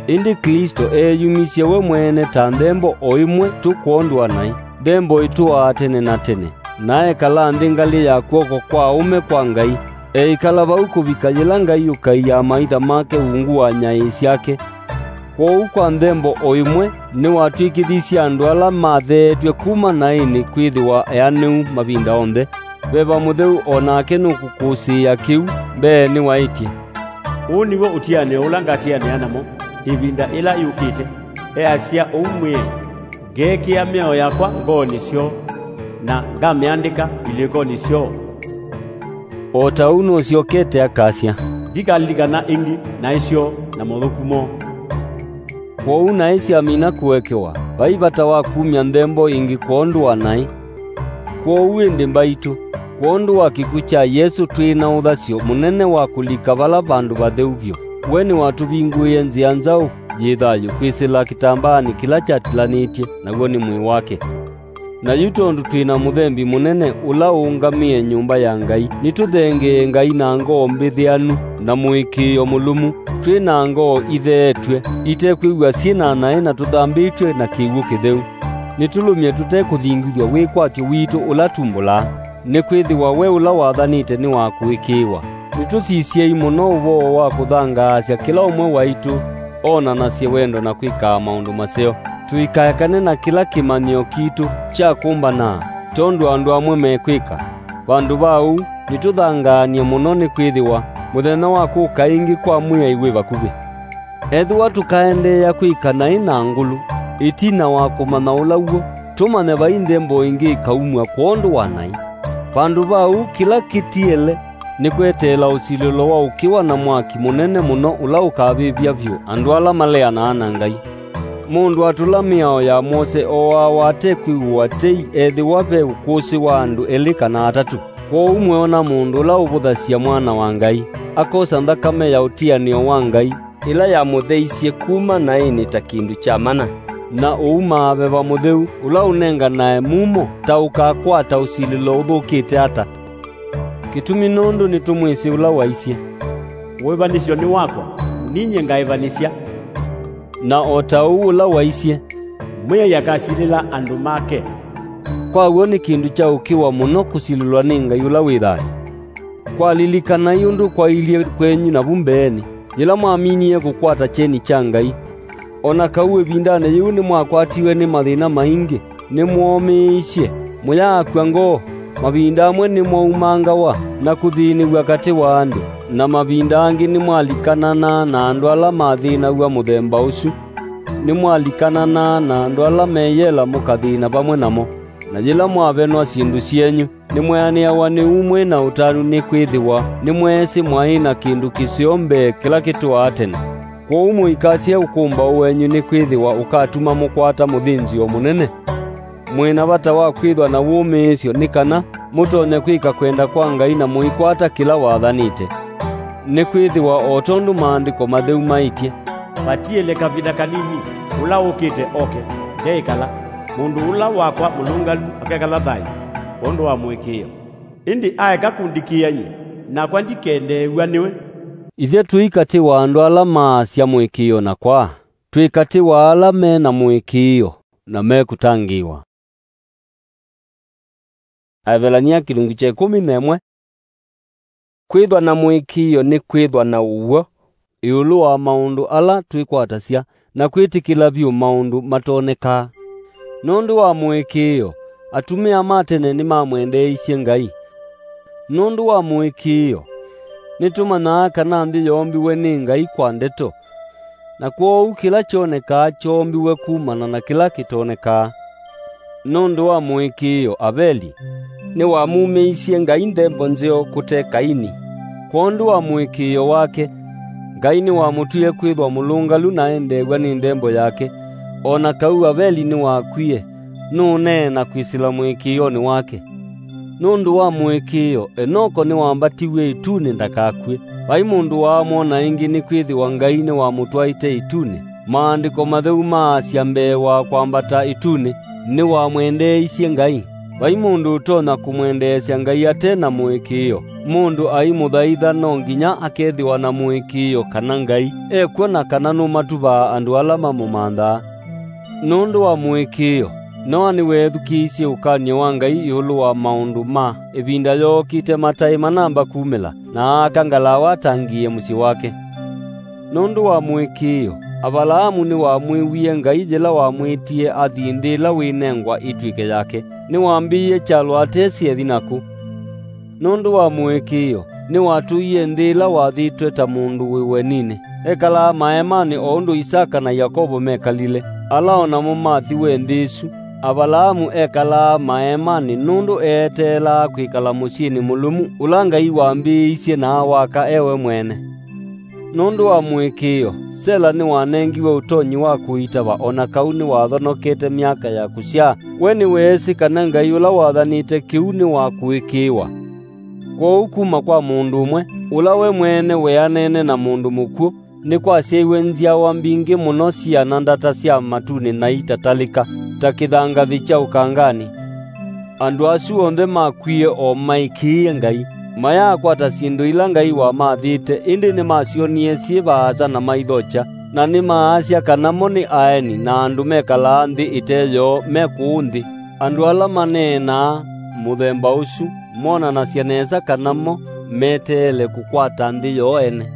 Ĩndĩ Klĩsto eeyumisye we mwene ta nthembo o ĩmwe tu kwondũ wa naĩ, nthembo ĩtũaa tene na tene, na ekala nthĩ ngalĩ ya kw'oko kwa aũme kwa Ngai, eĩkala vau kũvika yĩla Ngai ũkai amaitha make ungu wa nyaĩĩ syake. Kwoou kwa nthembo o ĩmwe nĩwatw'ĩkĩthisye andũ ala matheetw'e kuma naĩnĩ kwĩthĩwa eanĩu mavinda onthe. Veva Mũtheu o nake nũkũkũsĩĩa kĩu, mbeenĩ waĩtye, "Ũũ nĩw'o ũtianĩo ũla ngatianĩa namo ĩvinda ĩla yũkĩte, easya ũu Mwĩai, ngeekĩa mĩao yakwa ngoonĩ syoo, na ngamĩandĩka ilĩkonĩ syoo." O ta ũu nũsyokete akasya, "Ndikalilikana ĩngĩ naĩ syoo na mothũku moo." Kwoou naĩ syamina kũekewa, vai vata wa kumya nthembo ĩngĩ kwondũ wa naĩ. Kwoou ĩndĩ mbaitũ, kwondũ wa kĩkw'ũ kya Yesũ twĩ na ũthasyo mũnene wa kũlika vala vandũ vatheu vyũ. We nĩwatũvingũĩe nzĩa nzaũ yĩ thayũ kwĩsĩla kĩtambaanĩ kĩla kyatilanĩtye, naw'o nĩ mwĩĩ wake. Na yu tondũ twĩ na mũthembi mũnene ũla ũũngamĩe nyũmba ya Ngai, nĩtũthengee Ngai na ngoo mbĩthĩanu na mũĩkĩĩo mũlũmu, twĩ na ngoo itheetw'e, itekwĩw'a syĩ na naĩ na tũthambĩtw'e na kĩw'ũ kĩtheu. Nĩtũlũmye tũte kũthingithw'a wĩkwatyo witũ ũla tumbũlaa, nĩkwĩthĩwa we ũla wathanĩte nĩ wa kũĩkĩĩwa. Nĩtũsisyei mũno ũvoo wa kũthangaasya kĩla ũmwe waitũ onanasye wendo na kwĩkaa maũndũ maseo. Tũikaekane na kĩla kĩmanyĩo kitũ kya kũmbanaa, tondũ andũ amwe mekwĩka. Vandũ va ũu, nĩtũthangaanie mũno nĩkwĩthĩwa mũthenya wa kũka ĩngĩ kwa Mwĩai wĩ vakuvĩ. Ethĩwa tũkaendeea kwĩka naĩ na ngũlũ, ĩtina wa kũmanya ũla w'o, tũmanye vai nthembo ĩngĩ ĩkaumw'a kwondũ wa naĩ. Vandũ va ũu, kĩla kĩtiele nĩ kweteela ũsilĩlo wa ũkĩwa na mwaki mũnene mũno ũla ũkavĩvya vyũ andũ ala maleanaa na Ngai. Mũndũ atũla mĩao ya Mose ooawa ate kwĩw'ũa tei ethĩwa ve ũkũsĩ wa andũ elĩ kana atatũ. Kwoou mweona mũndũ ũla ũvũthasya Mwana wa Ngai, akosa nthakame ya ũtianĩo wa Ngai, ĩla yamũtheisye kuma naĩnĩ ta kĩndũ kya mana, na ũumaa Veva Mũtheu, ũla ũnenganae mumo ta ũkakwata ũsilĩlo ũthũkĩte ata. Kĩtumi nũndũ nĩtũmwĩsĩ ũla waisye, "Ũĩvanĩsyo nĩ wakwa, ninyie ngaĩvanĩsya." Na o ta ũu ũla waisye, "Mwĩai akasilĩla andũ make." Kwa w'o nĩ kĩndũ kya ũkĩwa mũno kũsilĩlwa nĩ Ngai ũla wĩ thayũ. Kwalilikanai ũndũ kwailyĩ kwenyu navu mbeenĩ, yĩla mwaminie kũkwata kyeni kya Ngai. O na kau ĩvindanĩ yĩu nĩmwakwatiwe nĩ mathĩna maingĩ, nĩmwomĩĩisye, mũyaakw'a ngoo, mavinda amwe nĩmwaumangawa na kũthĩnĩw'a katĩ wa andũ, na mavinda angĩ nĩmwalikananaa na andũ ala mathĩnaw'a mũthemba ũsu. Nĩmwalikananaa na andũ ala meyela mũkathĩna vamwe namo, na yĩla mwavenwa syĩndũ syenyu, nĩmweanĩawa nĩ ũmwe na ũtanu nĩkwĩthĩwa nĩmweesĩ mwaĩ na kĩndũ kĩseo mbee kĩla kĩtũaa tene. Kwoou mũikasye ũkũmbaũ wenyu nĩkwĩthĩwa ũkatuma mũkwata mũthĩnzĩo mũnene. Mwĩ na vata wa kwĩthwa na wũmĩĩsyo nĩ kana mũtonye kwĩka kwenda kwa Ngai na mũikwata kĩla wathanĩte. Nĩkwĩthĩwa o tondũ Maandĩko Matheu maĩtye, "Vatiĩle kavinda kanini, ũla ũkĩte oke, ndeĩkala, mũndũ ũla wakwa mũlũngalu akekala thayũ kwondũ wa mũĩkĩĩo. Ĩndĩ aeka kũndikĩĩa nyie, nakwa ndikendeew'a nĩwe." Ithyĩ tũi katĩ wa andũ ala maasya mũĩkĩĩo na kwaa, twĩ katĩ wa ala me na mũĩkĩĩo na mekũtangĩĩwa. Aevelania kĩlungu kya ĩkũmi na ĩmwe. Kwĩthwa na mũĩkĩĩo nĩ kwĩthwa na ũw'o ĩũlũ wa maũndũ ala twĩkwatasya, na kwĩtĩkĩla vyũ maũndũ matonekaa. Nũndũ wa mũĩkĩĩo, atumĩa ma tene nĩmamwendeeisye Ngai. Nũndũ wa mũĩkĩĩo, nĩtũmanyaa kana nthĩ yoombiwe nĩ Ngai kwa ndeto, na kwoou kĩla kyonekaa kyoombiwe kumana na kĩla kĩtonekaa. Nũndũ wa mũĩkĩĩo, Aveli nĩwamumĩisye Ngai nthembo nzeo kũte Kaini. Kwondũ wa mũĩkĩĩo wake, Ngai nĩwamũtwie kwĩthwa mũlũngalu na endeew'a nĩ nthembo yake. O na kau Aveli nĩwakwie, nũũneena kwĩsĩla mũĩkĩĩonĩ wake. Nũndũ wa mũĩkĩĩo, Enoko nĩwambatiw'e ĩtunĩ ndakakw'e. Vai mũndũ waamwona ĩngĩ, nĩkwĩthĩwa Ngai nĩwamũtwaĩte ĩtunĩ. Maandĩko Matheu maasya mbee wa kwambata ĩtunĩ, nĩwamwendeeisye Ngai. Vai mũndũ ũtonya kũmwendeesya Ngai ate na mũĩkĩĩo. Mũndũ aimũthaitha no nginya akethĩwa na mũĩkĩĩo kana Ngai ekw'o na kana nũmatuvaa andũ ala mamũmanthaa. Nũndũ wa mũĩkĩĩo, Noa nĩweethukĩĩisye ũkany'o wa Ngai ĩũlũ wa maũndũ ma ĩvinda yookĩte mataĩ manamba kumĩla, na aaka ngalawa atangĩĩe mũsyĩ wake. Nũndũ wa mũĩkĩĩo, Avalaamu nĩwamwĩwie Ngai yĩla wamwĩtie athi nthĩ ĩla wĩnengwa ĩtw'ĩke yake. Nĩwambĩĩie kyalo atesĩ ethi nakũ. Nũndũ wa mũĩkĩĩo, nĩwatũie nthĩ ĩla wathĩtwe ta mũndũ wĩ ũeninĩ. Ekalaa maeemanĩ o ũndũ Isaka na Yakovo mekalile, ala o namo mathiwe nthĩ ĩsu. Avalaamu ekalaa maeemanĩ nũndũ eeteelaa kwĩkala mũsyĩnĩ mũlũmu ũla Ngai wambĩĩisye na awaka e we mwene. Nũndũ wa mũĩkĩĩo, Sela nĩwanengiwe ũtonyi wa kũitava, o na kau nĩwathonokete myaka ya kũsyaa. We nĩweesĩ kana Ngai ũla wathanĩte kĩu nĩ wa kũĩkĩĩwa. Kwoou kuma kwa mũndũ ũmwe, ũla we mwene weanene na mũndũ mũkw'ũ, nĩkwasyaiwe nzyawa mbingĩ mũno siana ndata sya matunĩ na itatalĩka, ta kĩthangathĩ kya ũkanganĩ. Andũ asu onthe makwie o maĩkĩĩe Ngai, mayaakwata syĩndũ ila Ngai wamathĩte, ĩndĩ nĩmasyonie syĩ vaasa na maithokya, na nĩmaasya kana mo nĩ aeni na andũ mekalaa nthĩ ĩte yoo me kũũ nthĩ. Andũ ala maneenaa mũthemba ũsu monanasya nesa kana mo meteele kũkwata nthĩ yoo ene.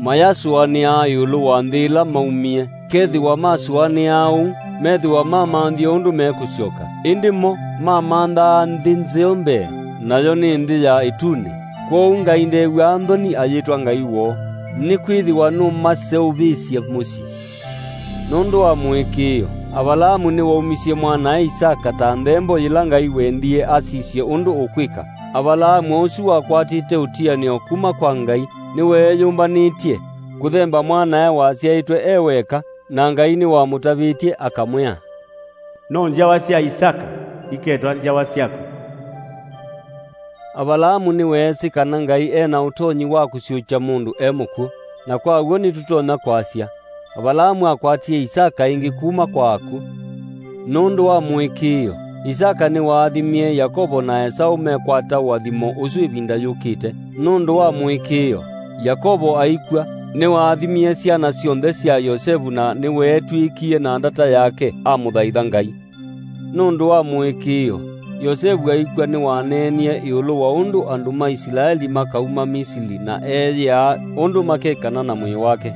Mayasũanĩaa ĩũlũ wa nthĩ ĩla maumie. Kethĩwa masũanĩaa ũu, methĩwa mamanthie ũndũ mekũsyoka. Ĩndĩ mo mamanthaa nthĩ nzeo mbee, nayo nĩ nthĩ ya ĩtunĩ. Kwoou Ngai ndew'aa nthoni ayĩtwa Ngai woo, nĩkwĩthĩwa nũmaseũvĩsye mũsyĩ. Nũndũ wa mũĩkĩĩo, Avalaamu nĩwaumisye mwanae Isaka ta nthembo yĩla Ngai wendie asisye ũndũ ũkwĩka. Avalaamu ũsu wakwatĩte ũtianĩo kuma kwa Ngai, nĩweeyũmbanĩtye kũthemba mwanae wasyaĩtwe e weka, na Ngai nĩwamũtavĩtye akamwĩa, "No nzyawa sya Isaka iketwa nzyawa syaku." Avalaamu nĩweesĩ kana Ngai e na ũtonyi wa kũsyũkya mũndũ e mũkw'ũ, na kwa w'o nĩtũtonya kwasya, Avalaamu akwatie Isaka ĩngĩ kuma kwa akw'ũ. Nũndũ wa mũĩkĩĩo, Isaka nĩwaathimie Yakovo na Esaũ mekwata ũathimo ũsu ĩvinda yũkĩte. Nũndũ wa mũĩkĩĩo, Yakovo aikw'a, nĩwaathimie syana syonthe sya Yosevu na nĩweetw'ĩkie na ndata yake amũthaitha Ngai. Nũndũ wa mũĩkĩĩo, Yosevu aikw'a nĩwaneenie ĩũlũ wa ũndũ andũ ma Isilaeli makauma Misili na eeyĩaa ũndũ makekana na mwĩĩ wake.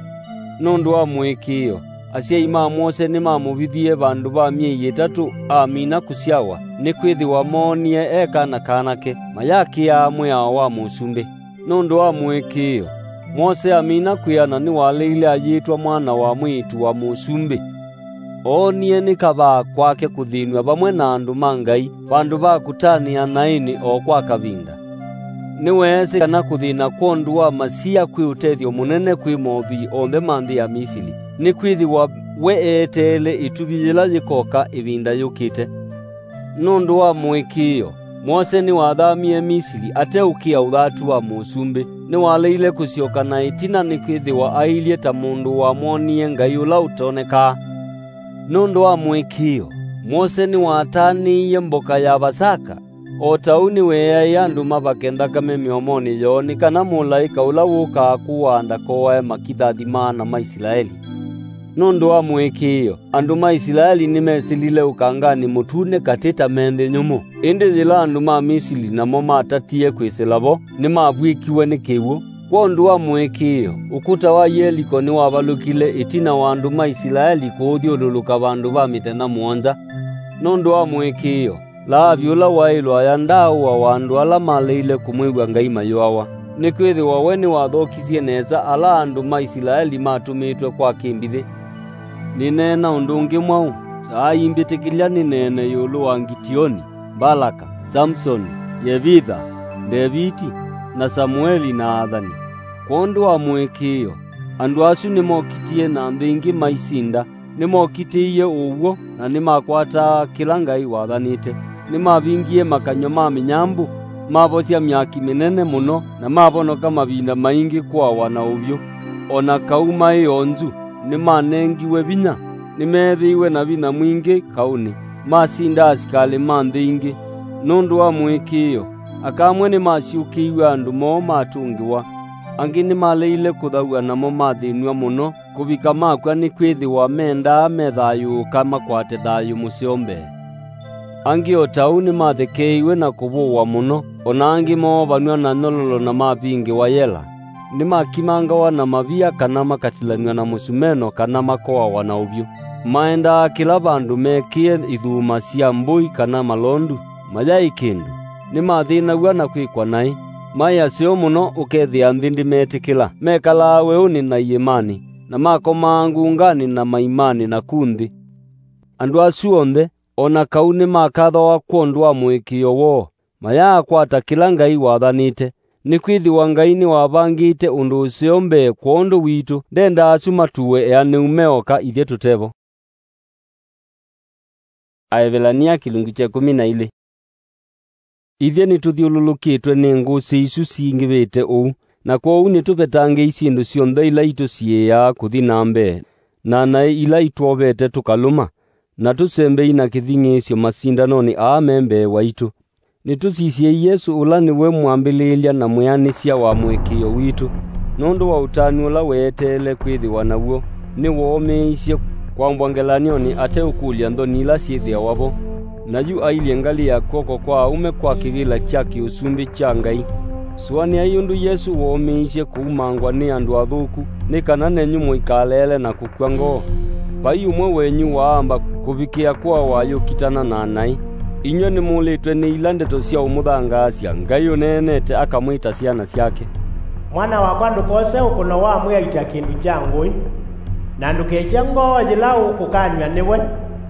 Nũndũ wa mũĩkĩĩo, asyai ma Mwose nĩmamũvithie vandũ va myei ĩtatũ amina kũsyawa, nĩkwĩthĩwa moonie e kana kanake, mayakĩaa mwĩao wa mũsumbĩ. Nũndũ wa mũĩkĩĩo, Mwose amina kwĩana nĩwaleile ayĩtwa mwana wa mwĩĩtu wa mũsumbĩ. Oonie nĩ kavaa kwake kũthĩnw'a vamwe na andũ ma Ngai vandũ va kũtanĩa naĩnĩ o kwa kavinda. Nĩweesĩ kana kũthĩna kwondũ wa Masia kwĩ ũtethyo mũnene kwĩ mothwii onthe ma nthĩ ya Misili, nĩkwĩthĩwa we eeteele ĩtuvi yĩla yĩkoka ĩvinda yũkĩte. Nũndũ wa mũĩkĩĩo, Mwose nĩwathamie Misili ateũkĩa ũthatu wa mũsumbĩ. Nĩwaleile kũsyoka na ĩtina nĩkwĩthĩwa ailyĩ ta mũndũ wamwonie Ngai ũla ũtonekaa. Nũndũ wa mũĩkĩĩo, Mwose nĩwatanĩie mboka ya Vasaka, o ta ũu nĩweeaĩe andũ mavake nthakame mĩomonĩ yoo, nĩ kana mũlaĩka ũla wũkaa kũaa ndakoae makithathi ma ana ma Isilaeli. Nũndũ wa mũĩkĩĩo, andũ ma Isilaeli nĩmesĩlile ũkanganĩ mũtune katĩ ta me nthĩ nyũmũ. Ĩndĩ yĩla andũ ma Misili namo matatie kwĩsĩla vo, nĩmavw'ĩkiwe nĩ kĩw'ũ. Kwondũ wa mũĩkĩĩo, ũkũta wa Yeliko nĩwavalũkile ĩtina wa andũ ma Isilaeli kũũthyũlũlũka vandũ va mĩthenya mũonza. Nũndũ wa mũĩkĩĩo, Laavi ũla waĩ lwaya ndaaũawa andũ ala maleile kũmwĩw'a Ngai mayũawa, nĩkwĩthĩwa we nĩwathokisye nesa ala andũ ma Isilaeli matũmĩtwe kwa kĩmbithĩ. Nĩneena ũndũ ũngĩ mwaũ? Kyaai mbĩtĩkĩlya nĩneene ĩũlũ wa Ngitioni, Mbalaka, Samusoni, Yevitha, Ndeviti, na Samueli na athani. Kwondũ wa mũĩkĩĩo, andũ asu nĩmokitie na nthĩ ingĩ maisinda, Nĩmokitĩie ũw'o, na nĩmakwataa kĩla Ngai wathanĩte. Nĩmavingie makanyw'a ma mĩnyambũ, mavosya myaki mĩnene mũno, na mavonoka mavinda maingĩ kũawa na ũvyũ. O na kau maĩ onzu, nĩmanengiwe vinya, nĩmeethĩiwe na vinya mwingĩ kaũnĩ, masinda asikalĩ ma nthĩ ingĩ. Nũndũ wa mũĩkĩĩo, aka amwe nĩmasyũkĩiw'e andũ moo matũngĩwa, angĩ nĩmaleile kũthaw'a namo mathĩnw'a mũno kũvika makw'a, nĩkwĩthĩwa mendaa methayũũka makwate thayũ mũseo mbee. Angĩ o ta ũu nĩmathekeeiwe na kũvũwa mũno, o na angĩ moovanw'a na nyololo na mavingĩwa yela. Nĩmakimangawa na mavia kana makatilanw'a na mũsumeno kana makoawa na ũvyũ. Maendaa kĩla vandũ mekĩe ithuma sya mbũi kana malondu, mayaĩ kĩndũ. Nĩmathĩnaw'a na kwĩkwa naĩ. Maĩ aseo mũno ũkethĩa nthĩ ndĩmetĩkĩla. Mekalaa weũnĩ na iĩmanĩ, na makomaa ngunganĩ na maimanĩ na ku nthĩ. Andũ asu onthe, o na kau nĩmakathawa kwondũ wa mũĩkĩĩo woo, mayaakwata kĩla Ngai wathanĩte, nĩkwĩthĩwa Ngai nĩwavangĩte ũndũ ũseo mbee kwondũ witũ, ndendaa asu matuwe eanĩu me oka ithyĩ tũte vo. Aevelania kĩlungu kya ĩkũmi na ilĩ. Ithyĩ nĩtũthyũlũlũkĩtwe nĩ ngũsĩ isu singĩvĩte ũu, na kwoou nĩtũvetangĩi syĩndũ syonthe ila itũsiĩĩaa kũthi na mbee, na naĩ ila itwovete tũkalũma, na tũsembei na kĩthing'ĩĩsyo masindanonĩ aa me mbee waitũ. Nĩtũsisyei Yesũ, ũla nĩwe mwambĩlĩĩlya na mwĩanĩsya wa mũĩkĩĩo witũ, nũndũ wa ũtanu ũla weeteele kwĩthĩwa naw'o, nĩwoomĩĩisye kwambwa ngelany'onĩ ateũkũlya nthoni ila syĩthĩawa vo. Na yu ailye ngalĩ ya kw'oko kwa aũme kwa kĩvĩla kya kĩ-ũsumbĩ kya Ngai. Sũanĩai ũndũ Yesũ woomĩĩisye kũumangwa nĩ andũ athũku, nĩ kana nenyu mũikaleele na kũkw'a ngoo. Vai ũmwe wenyu waamba kũvikĩa kũawa ayũkitana na naĩ. Inyw'ĩ nĩmũlĩtwe nĩ ila ndeto sya ũmũthangaasya Ngai ũneenete akamwĩta syana syake. Mwana wakwa, ndũkose ũkũno wa mwĩaĩtya kĩndũ kya ngũĩ, na ndũkekye ngoo yĩla ũkũkanw'a nĩwe,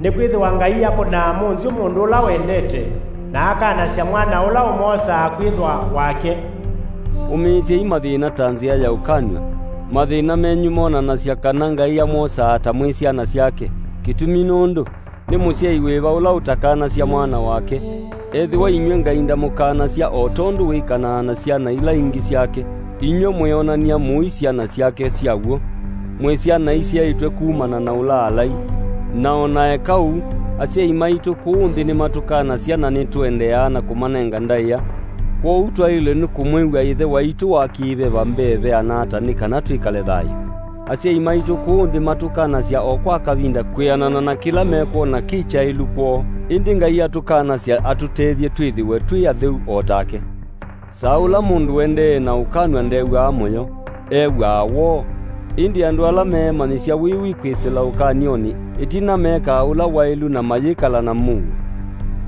nĩkwĩthĩwa Ngai akũnaa mũnzyũ mũndũ ũla wendete, na akanasya mwana ũla ũmwosaa kwĩthwa wake. Ũmĩĩsyai mathĩna ta nzĩa ya ũkanw'a. Mathĩna menyu monanasya kana Ngai amwosaa ta mwĩ syana syake. Kĩtumi nũndũ, nĩ mũsyai wĩva ũla ũtakanasya mwana wake? Ethĩwa inyw'ĩ Ngai ndamũkanasya o tondũ wĩkanaa na syana ila ingĩ syake, inyw'ĩ mwĩonany'a mũi syana syake sya w'o. Mwĩ syana isyaĩtwe kumana na ũlaalai. Na o na eka ũu, asyai maitũ kũũ nthĩ nĩmatũkanasya na nĩtũendeeaa na kũmanenga ndaĩa. Kwoou twaĩlwe nĩ kũmwĩw'a Ĩthe waitũ wa kĩ-veva mbee veana ata nĩ kana twĩkale thayũ? Asyai maitũ kũũ nthĩ matũkanasya o kwa kavinda kwĩanana na kĩla mekwona kĩ kyaĩlu kwoo, ĩndĩ Ngai atũkanasya atũtethye twĩthĩwe twĩ atheu o take. Saa ũla mũndũ ũendee na ũkanw'a ndew'aa mũyo, ew'aa woo. Ĩndĩ andũ ala meemanyĩsya wĩwi kwĩsĩla ũkany'onĩ, ĩtina mekaa ũla waĩlu na mayĩkala na mũuo.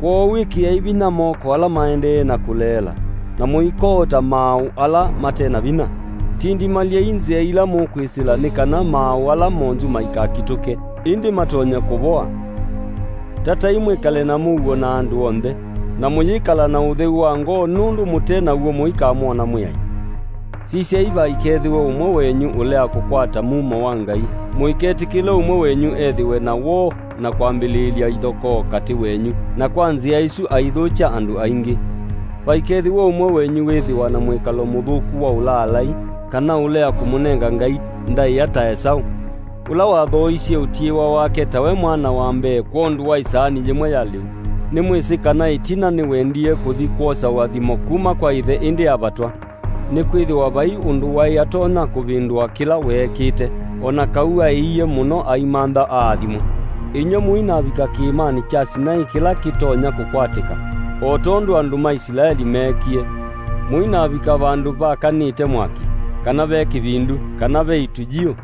Kwoou ĩkĩai vinya moko ala maendee na kũleela, na mũikoota maaũ ala mate na vinya. Tindimalyai nzĩa ila mũkwĩsĩla nĩ kana maaũ ala monzu maikakitũke, ĩndĩ matonye kũvoa. Tatai mwĩkale na mũuo na andũ onthe, na mũyĩkala na ũtheu wa ngoo, nũndũ mũte naw'o mũikamwona Mwĩai. Sisyai, vaikethĩwe ũmwe wenyu ũlea kũkwata mumo wa Ngai. Mũiketĩkĩle ũmwe wenyu ethĩwe na woo na kwambĩlĩĩlya ithokoo katĩ wenyu, na kwa nzĩa ĩsu aithũkya andũ aingĩ. Vaikethĩwe ũmwe wenyu wĩthĩwa na mwĩkalo mũthũku wa ũlaalai, kana ũlea kũmũnenga Ngai ndaĩa ta Esaũ, ũla wathooisye ũtiĩwa wake tawe mwana wa mbee kwondũ wa ĩsaani yĩmwe ya lĩu. Nĩmwĩsĩ kana ĩtina nĩwendie kũthi kwosa ũathimo kuma kwa ĩthe ĩndĩ avatwa. Nĩkwĩthĩwa vai ũndũ waĩ atonya kũvĩndũa kĩla weekĩte, o na kau aĩie mũno aimantha aathimwe. Inyw'ĩ mũinavika kĩĩmanĩ kya Sinai kĩla kĩtonya kũkwatĩka, o tondũ andũ ma Isilaeli meekie. Mũinavika vandũ vakanĩte mwaki, kana ve kĩvindu, kana ve itujiũ,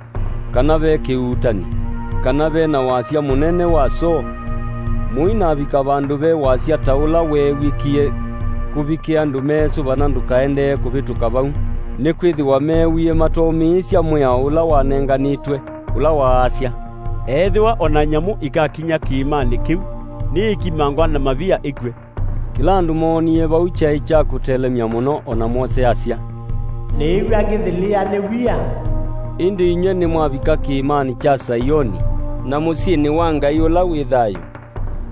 kana ve kĩuutani, kana ve na wasya mũnene wa soo. Mũinavika vandũ ve wasya ta ũla weew'ĩkie kũvikĩa andũ meesũvana ndũkaendee kũvĩtũka vau, nĩkwĩthĩwa meewie matoomĩĩsya mwĩao ũla wanenganĩtwe, ũla waasya, "Ethĩwa o na nyamũ ikakinya kĩĩmanĩ kĩu, nĩĩkimangwa na mavia ĩkw'e." Kĩla andũ moonie vau kyaĩ kya kũtelemya mũno, o na Mose asya, "Nĩĩw'a ngĩthilĩa nĩ wia." Ĩndĩ inyw'ĩ nĩmwavika kĩĩmanĩ kya Saioni, na mũsyĩnĩ wa Ngai ũla wĩ thayũ,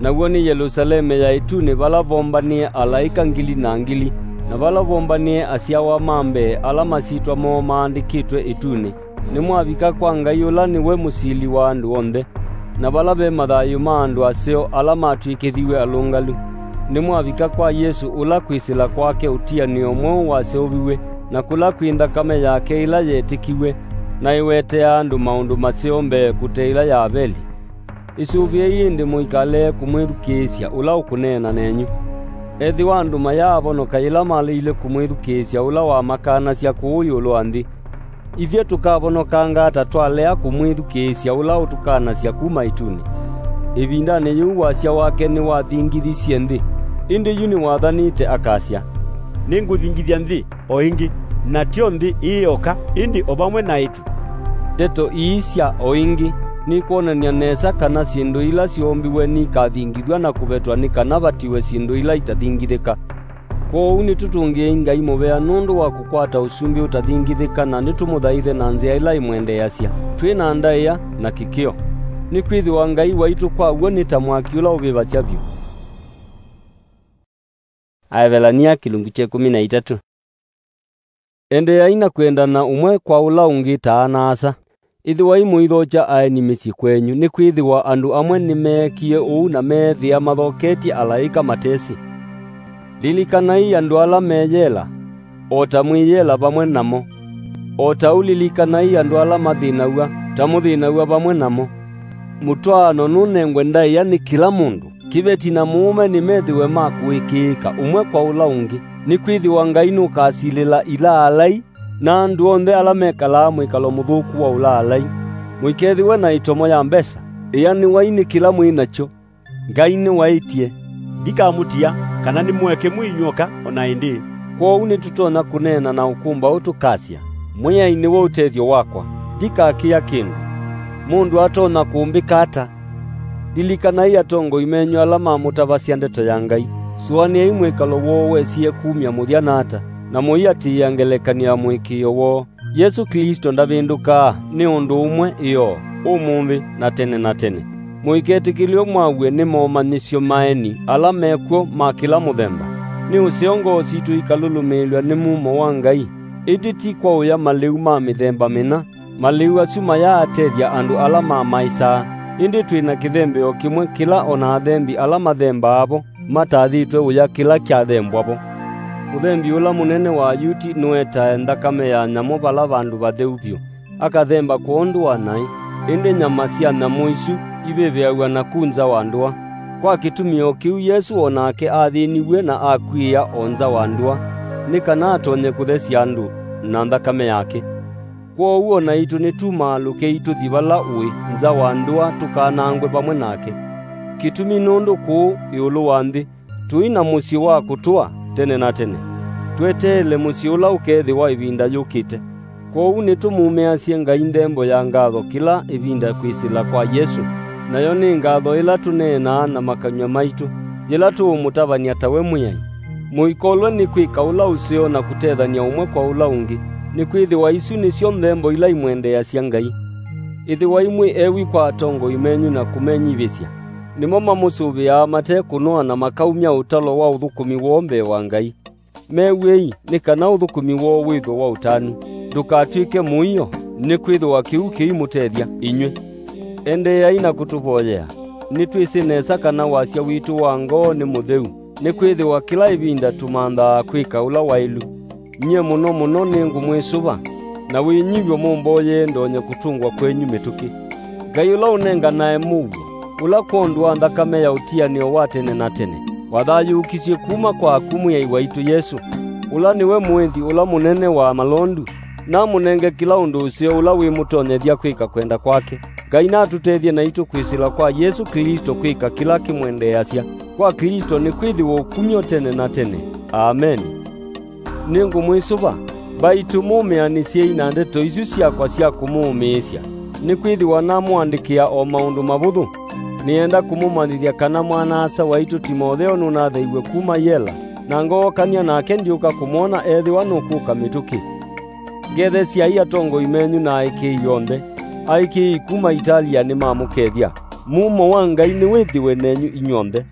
naw'o nĩ Yelusaleme ya ĩtunĩ, vala vombanĩe alaĩka ngili na ngili, na vala vombanĩe asyawa ma mbee ala masyĩtwa moo maandĩkĩtwe ĩtunĩ. Nĩmwavika kwa Ngai ũla nĩwe mũsili wa andũ onthe, na vala ve mathayũ ma andũ aseo ala matw'ĩkĩthiw'e alũngalu. Nĩmwavika kwa Yesũ, ũla kwĩsĩla kwake ũtianĩo mweũ waseũviw'e, na kũla kwĩ nthakame yake ĩla yetĩkiw'e, na ĩweteaa andũ maũndũ maseo mbee kũte ĩla ya Aveli. Ĩsũvĩei ĩndĩ mũikalee kũmwĩthukĩĩsya ũla ũkũneena nenyu. Ethĩwa andũ mayaavonoka yĩla maleile kũmwĩthukĩĩsya ũla wamakanasya kũũ ĩũlũ wa nthĩ, ithyĩ tũkavonokanga ata twalea kũmwĩthukĩĩsya ũla ũtũkanasya kuma ĩtunĩ? Ĩvindanĩ yĩu wasya wake nĩwathingithisye nthĩ, ĩndĩ yu nĩwathanĩte akasya, "Nĩngũthingithya nthĩ o ĩngĩ, na tyo nthĩ ĩĩ yoka, ĩndĩ o vamwe na ĩtu." Ndeto ii sya "o ĩngĩ" nikwonany'a nesa kana syĩndũ ila syoombiwe nikathingithw'a na kũvetwa nĩ kana vatiwe syĩndũ ila itathingithĩka. Kwoou nĩtũtũngĩei Ngai mũvea nũndũ wa kũkwata ũsumbĩ ũtathingithĩka, na nĩtũmũthaithe na nzĩa ĩla ĩmwendeeasya, twĩ na ndaĩa na kĩkĩo, nĩkwĩthĩwa Ngai waitũ kwa w'o nĩ ta mwaki ũla ũvĩvasya vyũ. Aevelania kĩlungu kya ĩkũmi na itatũ. Endeeai na kwendana ũmwe kwa ũla ũngĩ ta ana-a-asa. Ĩthĩwai mũithokya aeni mĩsyĩ kwenyu, nĩkwĩthĩwa andũ amwe nĩmeekie ũu na meethĩa mathoketye alaĩka matesĩ. Lilikanai andũ ala me yela, o ta mwĩ yela vamwe namo. O ta ũu lilikanai andũ ala mathĩnaw'a, ta mũthĩnaw'a vamwe namo. Mũtwaano nũnengwe ndaĩa nĩ kĩla mũndũ. Kĩveti na mũũme nĩmethĩwe ma kũĩkĩĩka ũmwe kwa ũla ũngĩ, nĩkwĩthĩwa Ngai nũkasilĩla ilaalai na andũ onthe ala mekalaa mwĩkalo mũthũku wa ũlaalai. Mũikethĩwe na ĩtomo ya mbesa, ĩanĩwai nĩ kĩla mwĩ nakyo. Ngai nĩwaĩtye, "Ndikamũtia, kana nĩmũeke mwĩ inyw'oka o na ĩndĩĩ." Kwoou nĩtũtonya kũneena na ũkũmbaũ tũkasya, "Mwĩai nĩwe ũtethyo wakwa, ndikakĩa kĩndũ. Mũndũ atonya kũmbĩka ata?" Lilikanai atongoi menyu ala mamũtavasya ndeto ya Ngai. Sũanĩai mwĩkalo woo wesie kumya mũthya na ata, na mũiatĩĩa ngelekany'o ya mũĩkĩĩo woo. Yesũ Klĩsto ndavĩndũkaa, nĩ ũndũ ũmwe ĩoo, ũmũnthĩ, na tene na tene. Mũiketĩkĩlw'e mwaw'e nĩ momanyĩsyo ma eni ala mekw'o ma kĩla mũthemba. Nĩ ũseo ngoo sitũ ikalũlũmĩĩlw'a nĩ mumo wa Ngai, ĩndĩ ti kwa ũya malĩu ma mĩthemba mĩna. Malĩu asu mayaatethya andũ ala mamaĩsaa, ĩndĩ twĩ na kĩthembeo kĩmwe kĩla o na athembi ala mathembaa vo matathĩtwe ũya kĩla kyathembwa vo. Mũthembi ũla mũnene wa Ayuti nũetae nthakame ya nyamũ vala vandũ vatheu vyũ, akathemba kwondũ wa naĩ, ĩndĩ nyama sya nyamũ isu ivĩvĩaw'a naku nza wa ndũa. Kwa kĩtumi o kĩu Yesũ o nake athĩniw'e na akw'ĩĩa o nza wa ndũa, nĩ kana atonye kũthesya andũ na nthakame yake. Kwoou o naitũ nĩtumaalũkei tũthi vala ũĩ nza wa ndũa tũkanangwe vamwe nake. Kĩtumi nũndũ kũũ ĩũlũ wa nthĩ tũi na mũsyĩ wa kũtũa tene na tene, tweteele mũsyĩ ũla ũkeethĩwa ĩvinda yũkĩte. Kwoou nĩtũmumĩasye Ngai nthembo ya ngatho kĩla ĩvinda kwĩsĩla kwa Yesũ, nayo nĩ ngatho ĩla tũneenaa na makanyw'a maitũ, yĩla tũũmũtavany'a tawe Mwĩai. Mũikolwe nĩ kwĩka ũla ũseo na kũtethany'a ũmwe kwa ũla ũngĩ, nĩkwĩthĩwa isu nĩsyo nthembo ila imwendeeasya Ngai. Ĩthĩwai mwĩ ewi kwa atongoi menyu na kũmenyivĩsya. Nĩmo mamũsũvĩaa mate kũnoa na makaumya ũtalo wa ũthũkũmi woo mbee wa Ngai. Mew'ei, nĩ kana ũthũkũmi woo wĩthwe wa ũtanu, ndũkatw'ĩke mũio, nĩkwĩthĩwa kĩu kĩimũtethya inyw'ĩ. Endeeai na kũtũvoyea. Nĩtwĩsĩ nesa kana wasya witũ wa ngoo nĩ mũtheu, nĩkwĩthĩwa kĩla ĩvinda tũmanthaa kwĩka ũla waĩlu. Nyie mũno mũno nĩngũmwĩsũva, na wĩnyivyo mũmboyee ndonye kũtũngwa kwenyu mĩtũkĩ. Ngai ũla ũnenganae mũuo, ũla kwondũ wa nthakame ya ũtianĩo wa tene na tene, wathayũũkisye kuma kwa akw'ũ Mwĩai waitũ Yesũ, ũla nĩwe mũĩthi ũla mũnene wa malondu, namũnenge kĩla ũndũ ũseo ũla wĩmũtonyethya kwĩka kwenda kwake. Ngai natũtethye naitũ kwĩsĩla kwa Yesũ Klĩsto kwĩka kĩla kĩmwendeeasya. Kwa Klĩsto nĩkwĩthĩwa ũkumyo tene na tene. Ameni. Nĩngũmwĩsũva, mbaitũ mũmĩanĩsyei na ndeto isu syakwa sya kũmũũmĩĩsya, nĩkwĩthĩwa namũandĩkĩa o maũndũ mavũthũ. Nĩenda kũmũmanyĩthya kana mwana-a-asa waitũ Timotheo nũnatheiw'e kuma yela, na ngookany'a nake ndyũka kũmwona ethĩwa nũkũka mĩtũkĩ. Ngethesyai atongoi menyu na aĩkĩĩi onthe. Aĩkĩĩi kuma Italia nĩmamũkethya. Mumo wa Ngai nĩwĩthĩwe nenyu inyw'onthe.